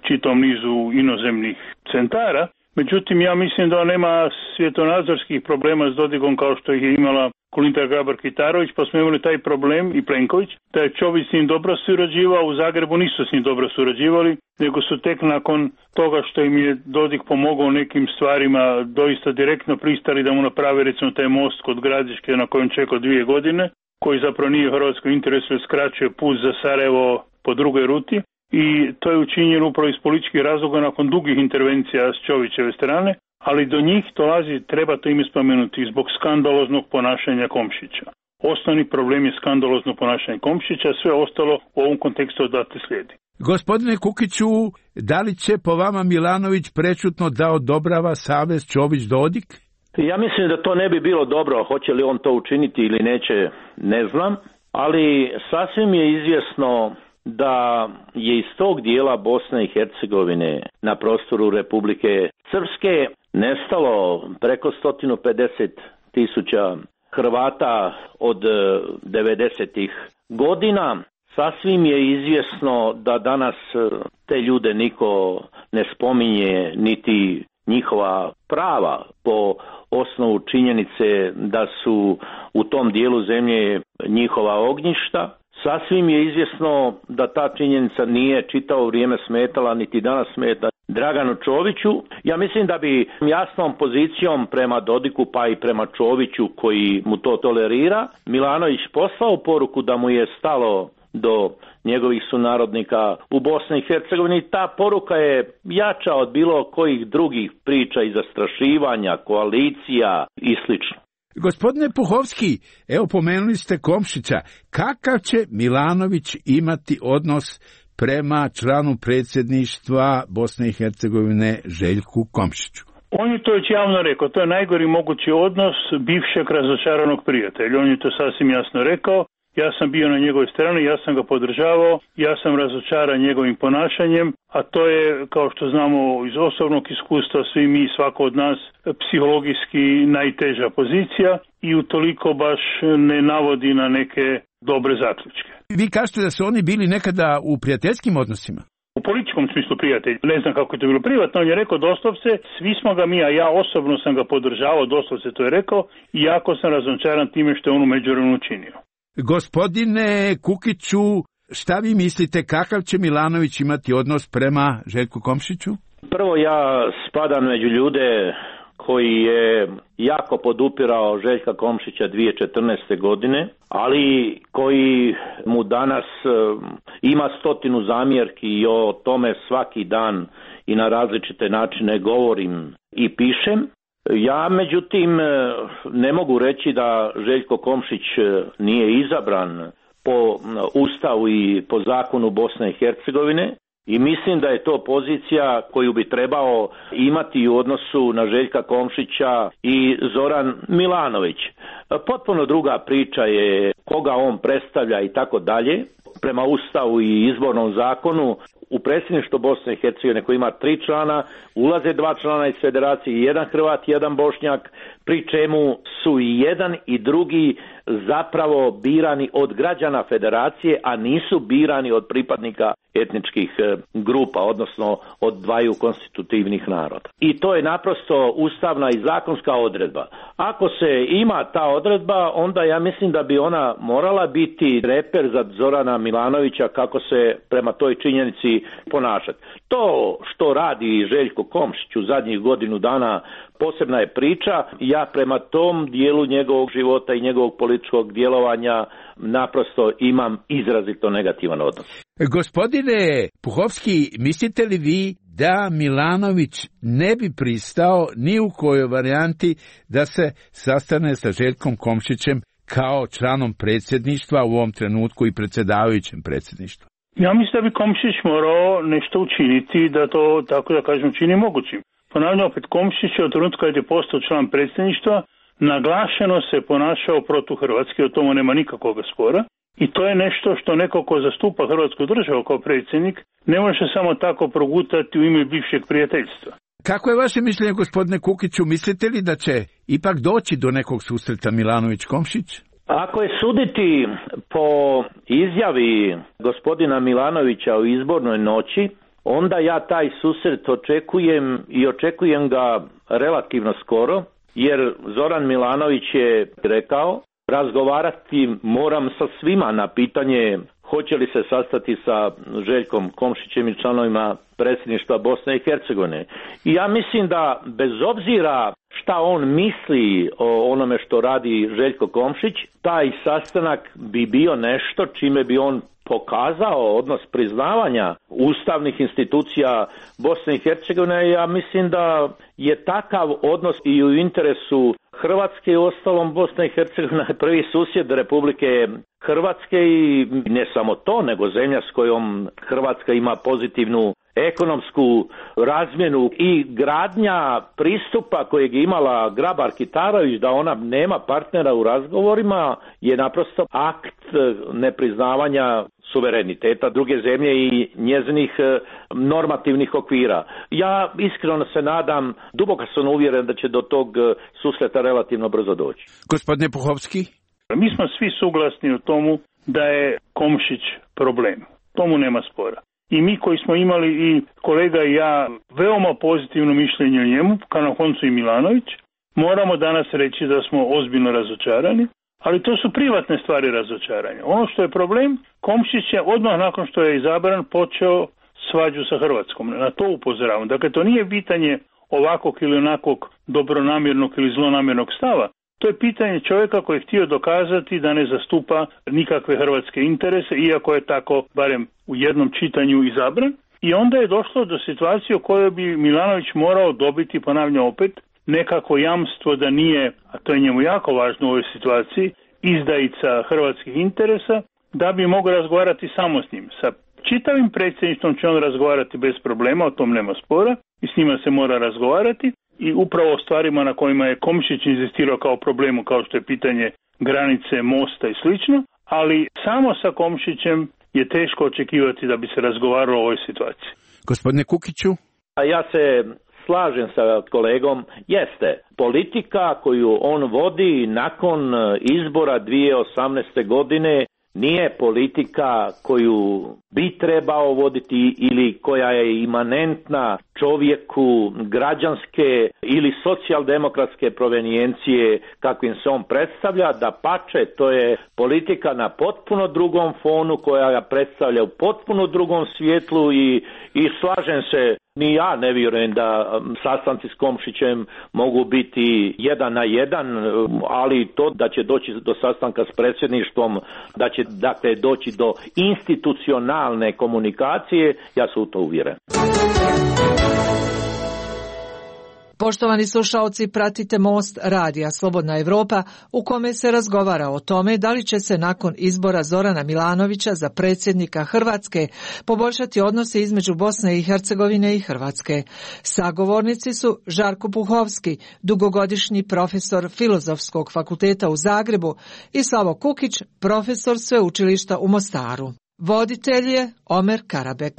čitom nizu inozemnih centara. Međutim, ja mislim da on nema svjetonazorskih problema s Dodigom kao što ih je imala Kolinda Grabar-Kitarović, pa smo imali taj problem i Plenković, da je Čović s njim dobro surađivao, u Zagrebu nisu s njim dobro surađivali, nego su tek nakon toga što im je Dodik pomogao u nekim stvarima doista direktno pristali da mu naprave recimo taj most kod Gradiške na kojem čekao 2 godine, koji zapravo nije u hrvatskom interesu jer skraćuje put za Sarajevo po drugoj ruti. I to je učinjeno upravo iz političkih razloga nakon dugih intervencija s Čovićeve strane, ali do njih dolazi, treba to ime spomenuti, zbog skandaloznog ponašanja Komšića. Osnovni problem je skandalozno ponašanje Komšića, sve ostalo u ovom kontekstu odatle slijedi. Gospodine Kukiću, da li će po vama Milanović prečutno da odobrava savez Čović-Dodik? Ja mislim da to ne bi bilo dobro, hoće li on to učiniti ili neće, ne znam, ali sasvim je izvjesno da je iz tog dijela Bosne i Hercegovine na prostoru Republike Srpske nestalo preko 150.000 Hrvata od 90-ih godina. Sasvim je izvjesno da danas te ljude niko ne spominje, niti njihova prava po osnovu činjenice da su u tom dijelu zemlje njihova ognjišta. Sasvim je izvjesno da ta činjenica nije čitavo vrijeme smetala, niti danas smeta Draganu Čoviću. Ja mislim da bi jasnom pozicijom prema Dodiku pa i prema Čoviću koji mu to tolerira, Milanović poslao poruku da mu je stalo do njegovih sunarodnika u Bosni i Hercegovini. Ta poruka je jača od bilo kojih drugih priča i zastrašivanja, koalicija i slično. Gospodine Puhovski, evo pomenuli ste Komšića. Kakav će Milanović imati odnos prema članu predsjedništva Bosne i Hercegovine Željku Komšiću? On je to već javno rekao, to je najgori mogući odnos bivšeg razočaranog prijatelja. On je to sasvim jasno rekao. Ja sam bio na njegovoj strani, ja sam ga podržavao, ja sam razočaran njegovim ponašanjem, a to je, kao što znamo iz osobnog iskustva, svi mi, svako od nas, psihologijski najteža pozicija i utoliko baš ne navodi na neke dobre zaključke. Vi kažete da su oni bili nekada u prijateljskim odnosima? u političkom smislu prijatelj. Ne znam kako je to bilo privatno, on je rekao doslovce, svi smo ga mi, a ja osobno sam ga podržavao, doslovce to je rekao, i jako sam razočaran time što je on u međuvremenu učinio. Gospodine Kukiću, šta vi mislite, kakav će Milanović imati odnos prema Željku Komšiću? Prvo, ja spadam među ljude koji je jako podupirao Željka Komšića 2014. godine, ali koji mu danas ima 100 zamjerki i o tome svaki dan i na različite načine govorim i pišem. Ja, međutim, ne mogu reći da Željko Komšić nije izabran po Ustavu i po zakonu Bosne i Hercegovine i mislim da je to pozicija koju bi trebao imati u odnosu na Željka Komšića i Zoran Milanović. Potpuno druga priča je koga on predstavlja i tako dalje. Prema Ustavu i izbornom zakonu u predsjedništvo Bosne i Hercegovine koji ima 3 člana, ulaze 2 člana iz federacije, jedan Hrvat, jedan Bošnjak, pri čemu su i jedan i drugi zapravo birani od građana federacije, a nisu birani od pripadnika etničkih grupa, odnosno od dvaju konstitutivnih naroda. I to je naprosto ustavna i zakonska odredba. Ako se ima ta odredba, onda ja mislim da bi ona morala biti reper za Zorana Milanovića kako se prema toj činjenici ponašati. To što radi Željko Komšić u zadnjih godinu dana posebna je priča. Ja prema tom dijelu njegovog života i njegovog političkog djelovanja naprosto imam izrazito negativan odnos. Gospodine Puhovski, mislite li vi da Milanović ne bi pristao ni u kojoj varijanti da se sastane sa Željkom Komšićem kao članom predsjedništva, u ovom trenutku i predsjedavajućem predsjedništva? Ja mislim da bi Komšić morao nešto učiniti da to, tako da kažem, čini mogućim. Ponavljam opet, Komšić je od trenutka kad je postao član predsjedništva naglašeno se ponašao protuhrvatski, o tomu nema nikakvog spora. I to je nešto što neko ko zastupa Hrvatsku državu kao predsjednik ne može samo tako progutati u ime bivšeg prijateljstva. Kako je vaše mišljenje, gospodine Kukiću, mislite li da će ipak doći do nekog susreta Milanović-Komšić? Ako je suditi po izjavi gospodina Milanovića o izbornoj noći, onda ja taj susret očekujem ga relativno skoro, jer Zoran Milanović je rekao razgovarati moram sa svima na pitanje hoće li se sastati sa Željkom Komšićem i članovima predsjedništva Bosne i Hercegovine. I ja mislim da bez obzira šta on misli o onome što radi Željko Komšić, taj sastanak bi bio nešto čime bi on pokazao odnos priznavanja ustavnih institucija Bosne i Hercegovine. Ja mislim da je takav odnos i u interesu Hrvatske i ostalom Bosna i Hercegovina je prvi susjed Republike Hrvatske i ne samo to, nego zemlja s kojom Hrvatska ima pozitivnu ekonomsku razmjenu i gradnja pristupa kojeg je imala Grabar-Kitarović da ona nema partnera u razgovorima je naprosto akt nepriznavanja suvereniteta druge zemlje i njezinih normativnih okvira. Ja iskreno se nadam, duboko sam uvjeren da će do tog susreta relativno brzo doći. Gospodine Puhovski? Mi smo svi suglasni o tomu da je Komšić problem. Tomu nema spora. I mi koji smo imali i kolega i ja veoma pozitivno mišljenje o njemu, kao na koncu i Milanović, moramo danas reći da smo ozbiljno razočarani, ali to su privatne stvari razočaranja. Ono što je problem, Komšić je odmah nakon što je izabran počeo svađu sa Hrvatskom. Na to upozoravam. Dakle, to nije pitanje ovakvog ili onakvog dobronamjernog ili zlonamjernog stava. To je pitanje čovjeka koji je htio dokazati da ne zastupa nikakve hrvatske interese, iako je tako barem u jednom čitanju izabran. I onda je došlo do situacije u kojoj bi Milanović morao dobiti, ponavljam opet, nekako jamstvo da nije, a to je njemu jako važno u ovoj situaciji, izdajica hrvatskih interesa, da bi mogao razgovarati samo s njim. Sa čitavim predsjedništvom će on razgovarati bez problema, o tom nema spora i s njima se mora razgovarati. I upravo o stvarima na kojima je Komšić inzistirao kao problemu, kao što je pitanje granice, mosta i slično, ali samo sa Komšićem je teško očekivati da bi se razgovaralo o ovoj situaciji. Gospodine Kukiću? A ja se slažem sa kolegom, jeste politika koju on vodi nakon izbora 2018. godine nije politika koju bi trebao voditi ili koja je imanentna čovjeku građanske ili socijaldemokratske provenijencije kakvim se on predstavlja, da pače to je politika na potpuno drugom fonu koja ga predstavlja u potpuno drugom svjetlu i slažem se, ni ja ne vjerujem da sastanci s Komšićem mogu biti 1 na 1, ali to da će doći do sastanka s predsjedništvom, da će dakle doći do institucionalne komunikacije, ja sam u to uvjeren. Poštovani slušaoci, pratite Most radija Slobodna Evropa u kome se razgovara o tome da li će se nakon izbora Zorana Milanovića za predsjednika Hrvatske poboljšati odnosi između Bosne i Hercegovine i Hrvatske. Sagovornici su Žarko Puhovski, dugogodišnji profesor Filozofskog fakulteta u Zagrebu, i Slavo Kukić, profesor sveučilišta u Mostaru. Voditelj je Omer Karabek.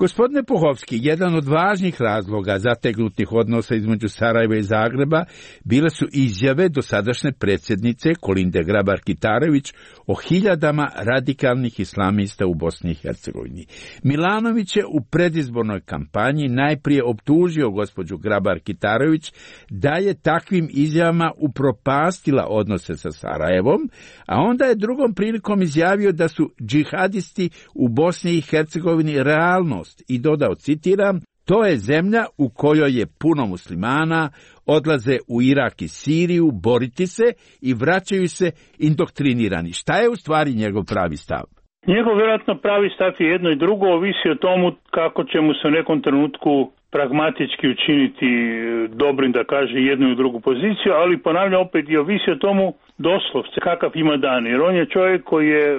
Gospodine Puhovski, jedan od važnih razloga zategnutih odnosa između Sarajeva i Zagreba bile su izjave dosadašnje predsjednice Kolinde Grabar-Kitarović o hiljadama radikalnih islamista u Bosni i Hercegovini. Milanović je u predizbornoj kampanji najprije optužio gospođu Grabar-Kitarović da je takvim izjavama upropastila odnose sa Sarajevom, a onda je drugom prilikom izjavio da su džihadisti u Bosni i Hercegovini realnost i dodao, citiram, to je zemlja u kojoj je puno muslimana, odlaze u Irak i Siriju boriti se i vraćaju se indoktrinirani. Šta je u stvari njegov pravi stav? Njegov vjerojatno pravi stav je jedno i drugo, ovisi o tomu kako će mu se u nekom trenutku pragmatički učiniti dobrim da kaže jednu i drugu poziciju, ali ponavljam opet i ovisi o tomu doslovce kakav ima dan, jer on je čovjek koji je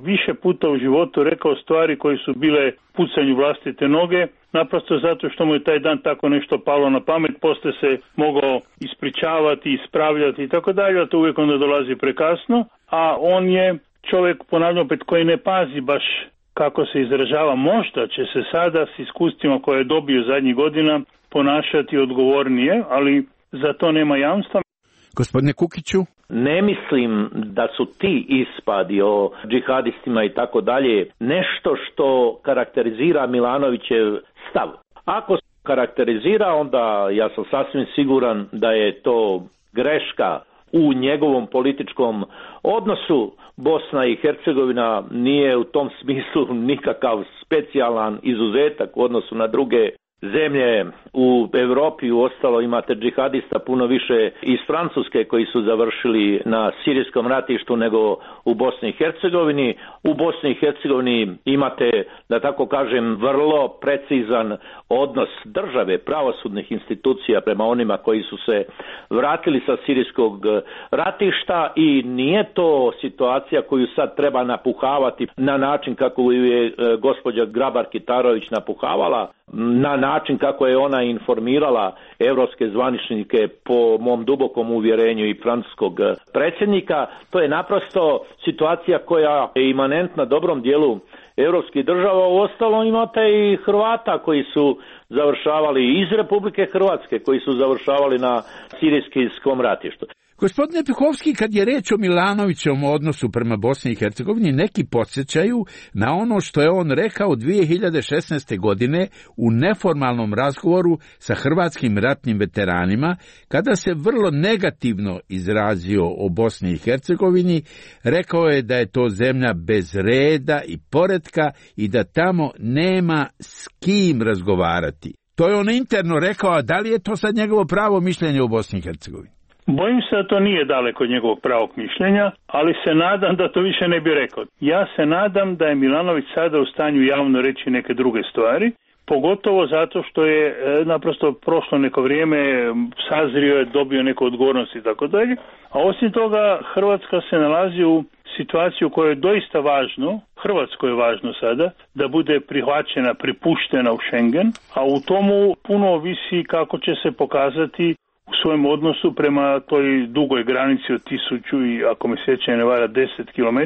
više puta u životu rekao stvari koje su bile pucanju vlastite noge, naprosto zato što mu je taj dan tako nešto palo na pamet, poslije se mogao ispričavati, ispravljati i tako dalje, a to uvijek onda dolazi prekasno, a on je čovjek, ponavljam opet, koji ne pazi baš kako se izražava. Možda će se sada s iskustvima koje je dobio zadnjih godina ponašati odgovornije, ali za to nema jamstva. Gospodine Kukiću? Ne mislim da su ti ispadi o džihadistima i tako dalje nešto što karakterizira Milanovićev stav. Ako se karakterizira, onda ja sam sasvim siguran da je to greška u njegovom političkom odnosu. Bosna i Hercegovina nije u tom smislu nikakav specijalan izuzetak u odnosu na druge zemlje u Europi. Uostalo imate džihadista puno više iz Francuske koji su završili na sirijskom ratištu nego u Bosni i Hercegovini. U Bosni i Hercegovini imate, da tako kažem, vrlo precizan odnos države, pravosudnih institucija prema onima koji su se vratili sa sirijskog ratišta i nije to situacija koju sad treba napuhavati na način kako je gospođa Grabar-Kitarović napuhavala, na način kako je ona informirala europske zvaničnike po mom dubokom uvjerenju i francuskog predsjednika. To je naprosto situacija koja je imanentna dobrom dijelu europskih država. Uostalom imate i Hrvata koji su završavali iz Republike Hrvatske, koji su završavali na sirijskom ratištu. Gospodine Puhovski, kad je reč o Milanovićevom odnosu prema Bosni i Hercegovini, neki podsjećaju na ono što je on rekao 2016. godine u neformalnom razgovoru sa hrvatskim ratnim veteranima, kada se vrlo negativno izrazio o Bosni i Hercegovini. Rekao je da je to zemlja bez reda i poretka i da tamo nema s kim razgovarati. To je on interno rekao, a da li je to sad njegovo pravo mišljenje o Bosni i Hercegovini? Bojim se da to nije daleko od njegovog pravog mišljenja, ali se nadam da to više ne bi rekao. Ja se nadam da je Milanović sada u stanju javno reći neke druge stvari, pogotovo zato što je naprosto prošlo neko vrijeme, sazrio je, dobio neku odgovornost i tako dalje. A osim toga, Hrvatska se nalazi u situaciju koja je doista važno, Hrvatskoj je važno sada, da bude prihvaćena, pripuštena u Schengen, a u tomu puno ovisi kako će se pokazati u svojem odnosu prema toj dugoj granici od 1000 i, ako me sjećanje ne vara, 10 km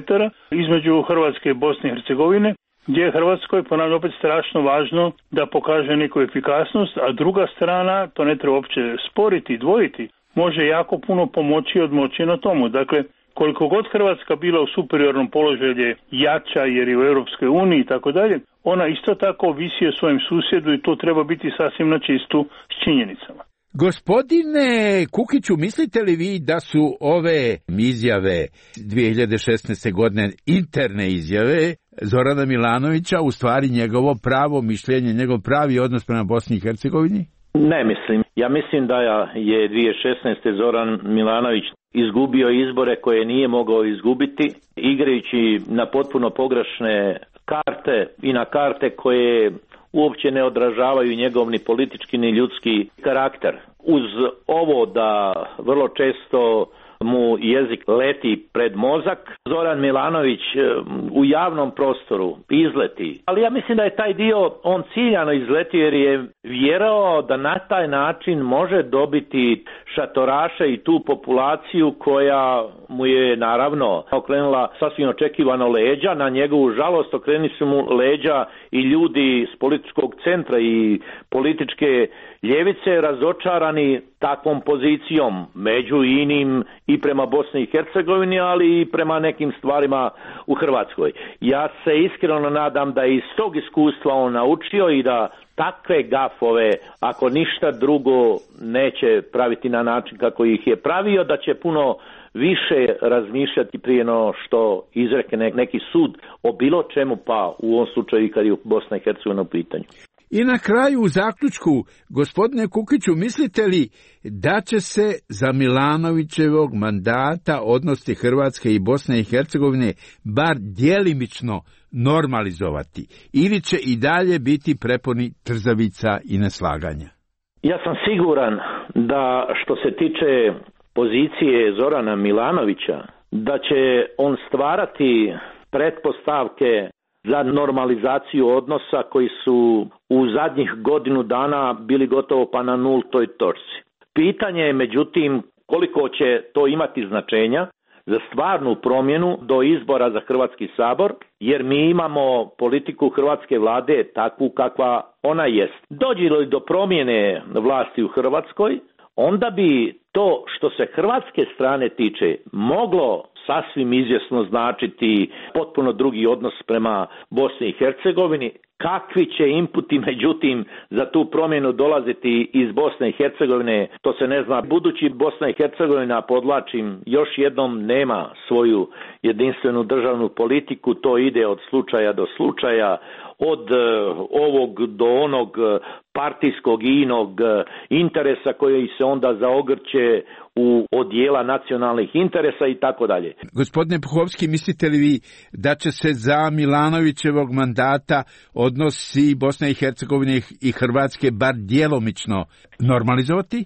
između Hrvatske i Bosne i Hercegovine, gdje je Hrvatskoj, ponavljam opet, strašno važno da pokaže neku efikasnost, a druga strana, to ne treba uopće sporiti i dvojiti, može jako puno pomoći i odmoći na tomu. Dakle, koliko god Hrvatska bila u superiornom položaju je jača jer je u Europskoj uniji i tako dalje, ona isto tako visi o svojem susjedu i to treba biti sasvim na čistu s činjenicama. Gospodine Kukiću, mislite li vi da su ove izjave 2016. godine, interne izjave Zorana Milanovića, u stvari njegovo pravo mišljenje, njegov pravi odnos prema Bosni i Hercegovini? Ne mislim. Ja mislim da je 2016. Zoran Milanović izgubio izbore koje nije mogao izgubiti, igrajući na potpuno pogrešne karte i na karte koje uopće ne odražavaju njegov ni politički ni ljudski karakter. Uz ovo da vrlo često mu jezik leti pred mozak, Zoran Milanović u javnom prostoru izleti. Ali ja mislim da je taj dio on ciljano izletio jer je vjerovao da na taj način može dobiti šatoraše i tu populaciju koja mu je naravno okrenula sasvim očekivano leđa. Na njegovu žalost okreni su mu leđa i ljudi s političkog centra i političke ljevice razočarani takvom pozicijom među inim i prema Bosni i Hercegovini, ali i prema nekim stvarima u Hrvatskoj. Ja se iskreno nadam da iz tog iskustva on naučio i da takve gafove, ako ništa drugo, neće praviti na način kako ih je pravio, da će puno više razmišljati prije no što izrekne neki sud o bilo čemu, pa u ovom slučaju kad je Bosna i Hercegovina u pitanju. I na kraju u zaključku, gospodine Kukiću, mislite li da će se za Milanovićevog mandata odnosi Hrvatske i Bosne i Hercegovine bar djelimično normalizovati ili će i dalje biti prepuni trzavica i neslaganja? Ja sam siguran da što se tiče pozicije Zorana Milanovića, da će on stvarati pretpostavke za normalizaciju odnosa koji su u zadnjih godinu dana bili gotovo pa na nultoj točci. Pitanje je međutim koliko će to imati značenja za stvarnu promjenu do izbora za Hrvatski sabor, jer mi imamo politiku hrvatske vlade takvu kakva ona jest. Dođe li do promjene vlasti u Hrvatskoj, onda bi to što se hrvatske strane tiče moglo sasvim izvjesno značiti potpuno drugi odnos prema Bosni i Hercegovini. Kakvi će inputi, međutim, za tu promjenu dolaziti iz Bosne i Hercegovine, to se ne zna. Budući Bosna i Hercegovina, podvlačim, još jednom nema svoju jedinstvenu državnu politiku, to ide od slučaja do slučaja, od ovog do onog partijskog i inog interesa koji se onda zaogrće u odjela nacionalnih interesa i tako dalje. Gospodine Puhovski, mislite li vi da će se za Milanovićevog mandata odnosi Bosne i Hercegovine i Hrvatske bar djelomično normalizovati?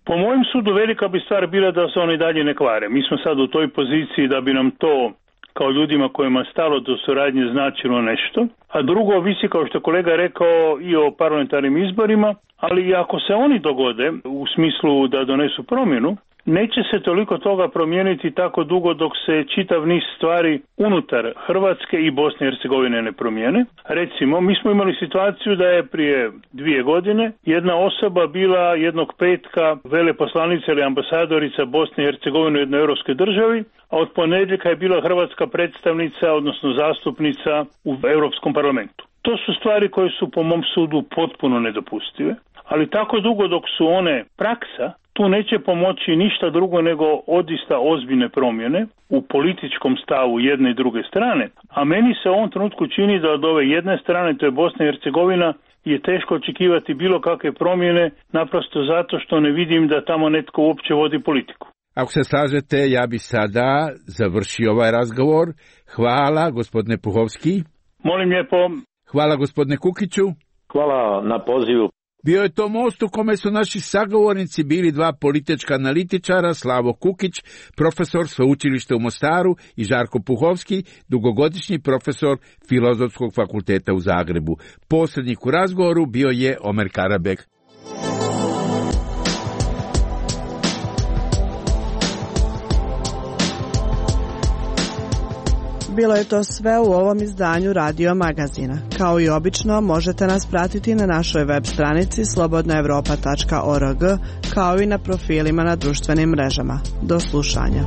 Po mojem sudu velika bi stvar bila da se oni dalje ne kvare. Mi smo sad u toj poziciji da bi nam to kao ljudima kojima stalo do suradnje značilo nešto, a drugo visi, kao što je kolega rekao, i o parlamentarnim izborima, ali i ako se oni dogode u smislu da donesu promjenu, neće se toliko toga promijeniti tako dugo dok se čitav niz stvari unutar Hrvatske i Bosne i Hercegovine ne promijene. Recimo, mi smo imali situaciju da je prije 2 godine jedna osoba bila jednog petka veleposlanica ili ambasadorica Bosne i Hercegovine u jednoj europskoj državi, a od ponedjeljka je bila hrvatska predstavnica, odnosno zastupnica u Europskom parlamentu. To su stvari koje su po mom sudu potpuno nedopustive, ali tako dugo dok su one praksa, tu neće pomoći ništa drugo nego odista ozbiljne promjene u političkom stavu jedne i druge strane, a meni se u ovom trenutku čini da od ove jedne strane, to je Bosna i Hercegovina, je teško očekivati bilo kakve promjene, naprosto zato što ne vidim da tamo netko uopće vodi politiku. Ako se slažete, ja bi sada završio ovaj razgovor. Hvala, gospodine Puhovski. Molim lijepo. Hvala, gospodine Kukiću. Hvala na pozivu. Bio je to most u kome su naši sagovornici bili 2 politička analitičara, Slavo Kukić, profesor sveučilišta u Mostaru, i Žarko Puhovski, dugogodišnji profesor Filozofskog fakulteta u Zagrebu. Posrednik u razgovoru bio je Omer Karabek. Bilo je to sve u ovom izdanju Radio Magazina. Kao i obično, možete nas pratiti na našoj web stranici slobodnaevropa.org, kao i na profilima na društvenim mrežama. Do slušanja.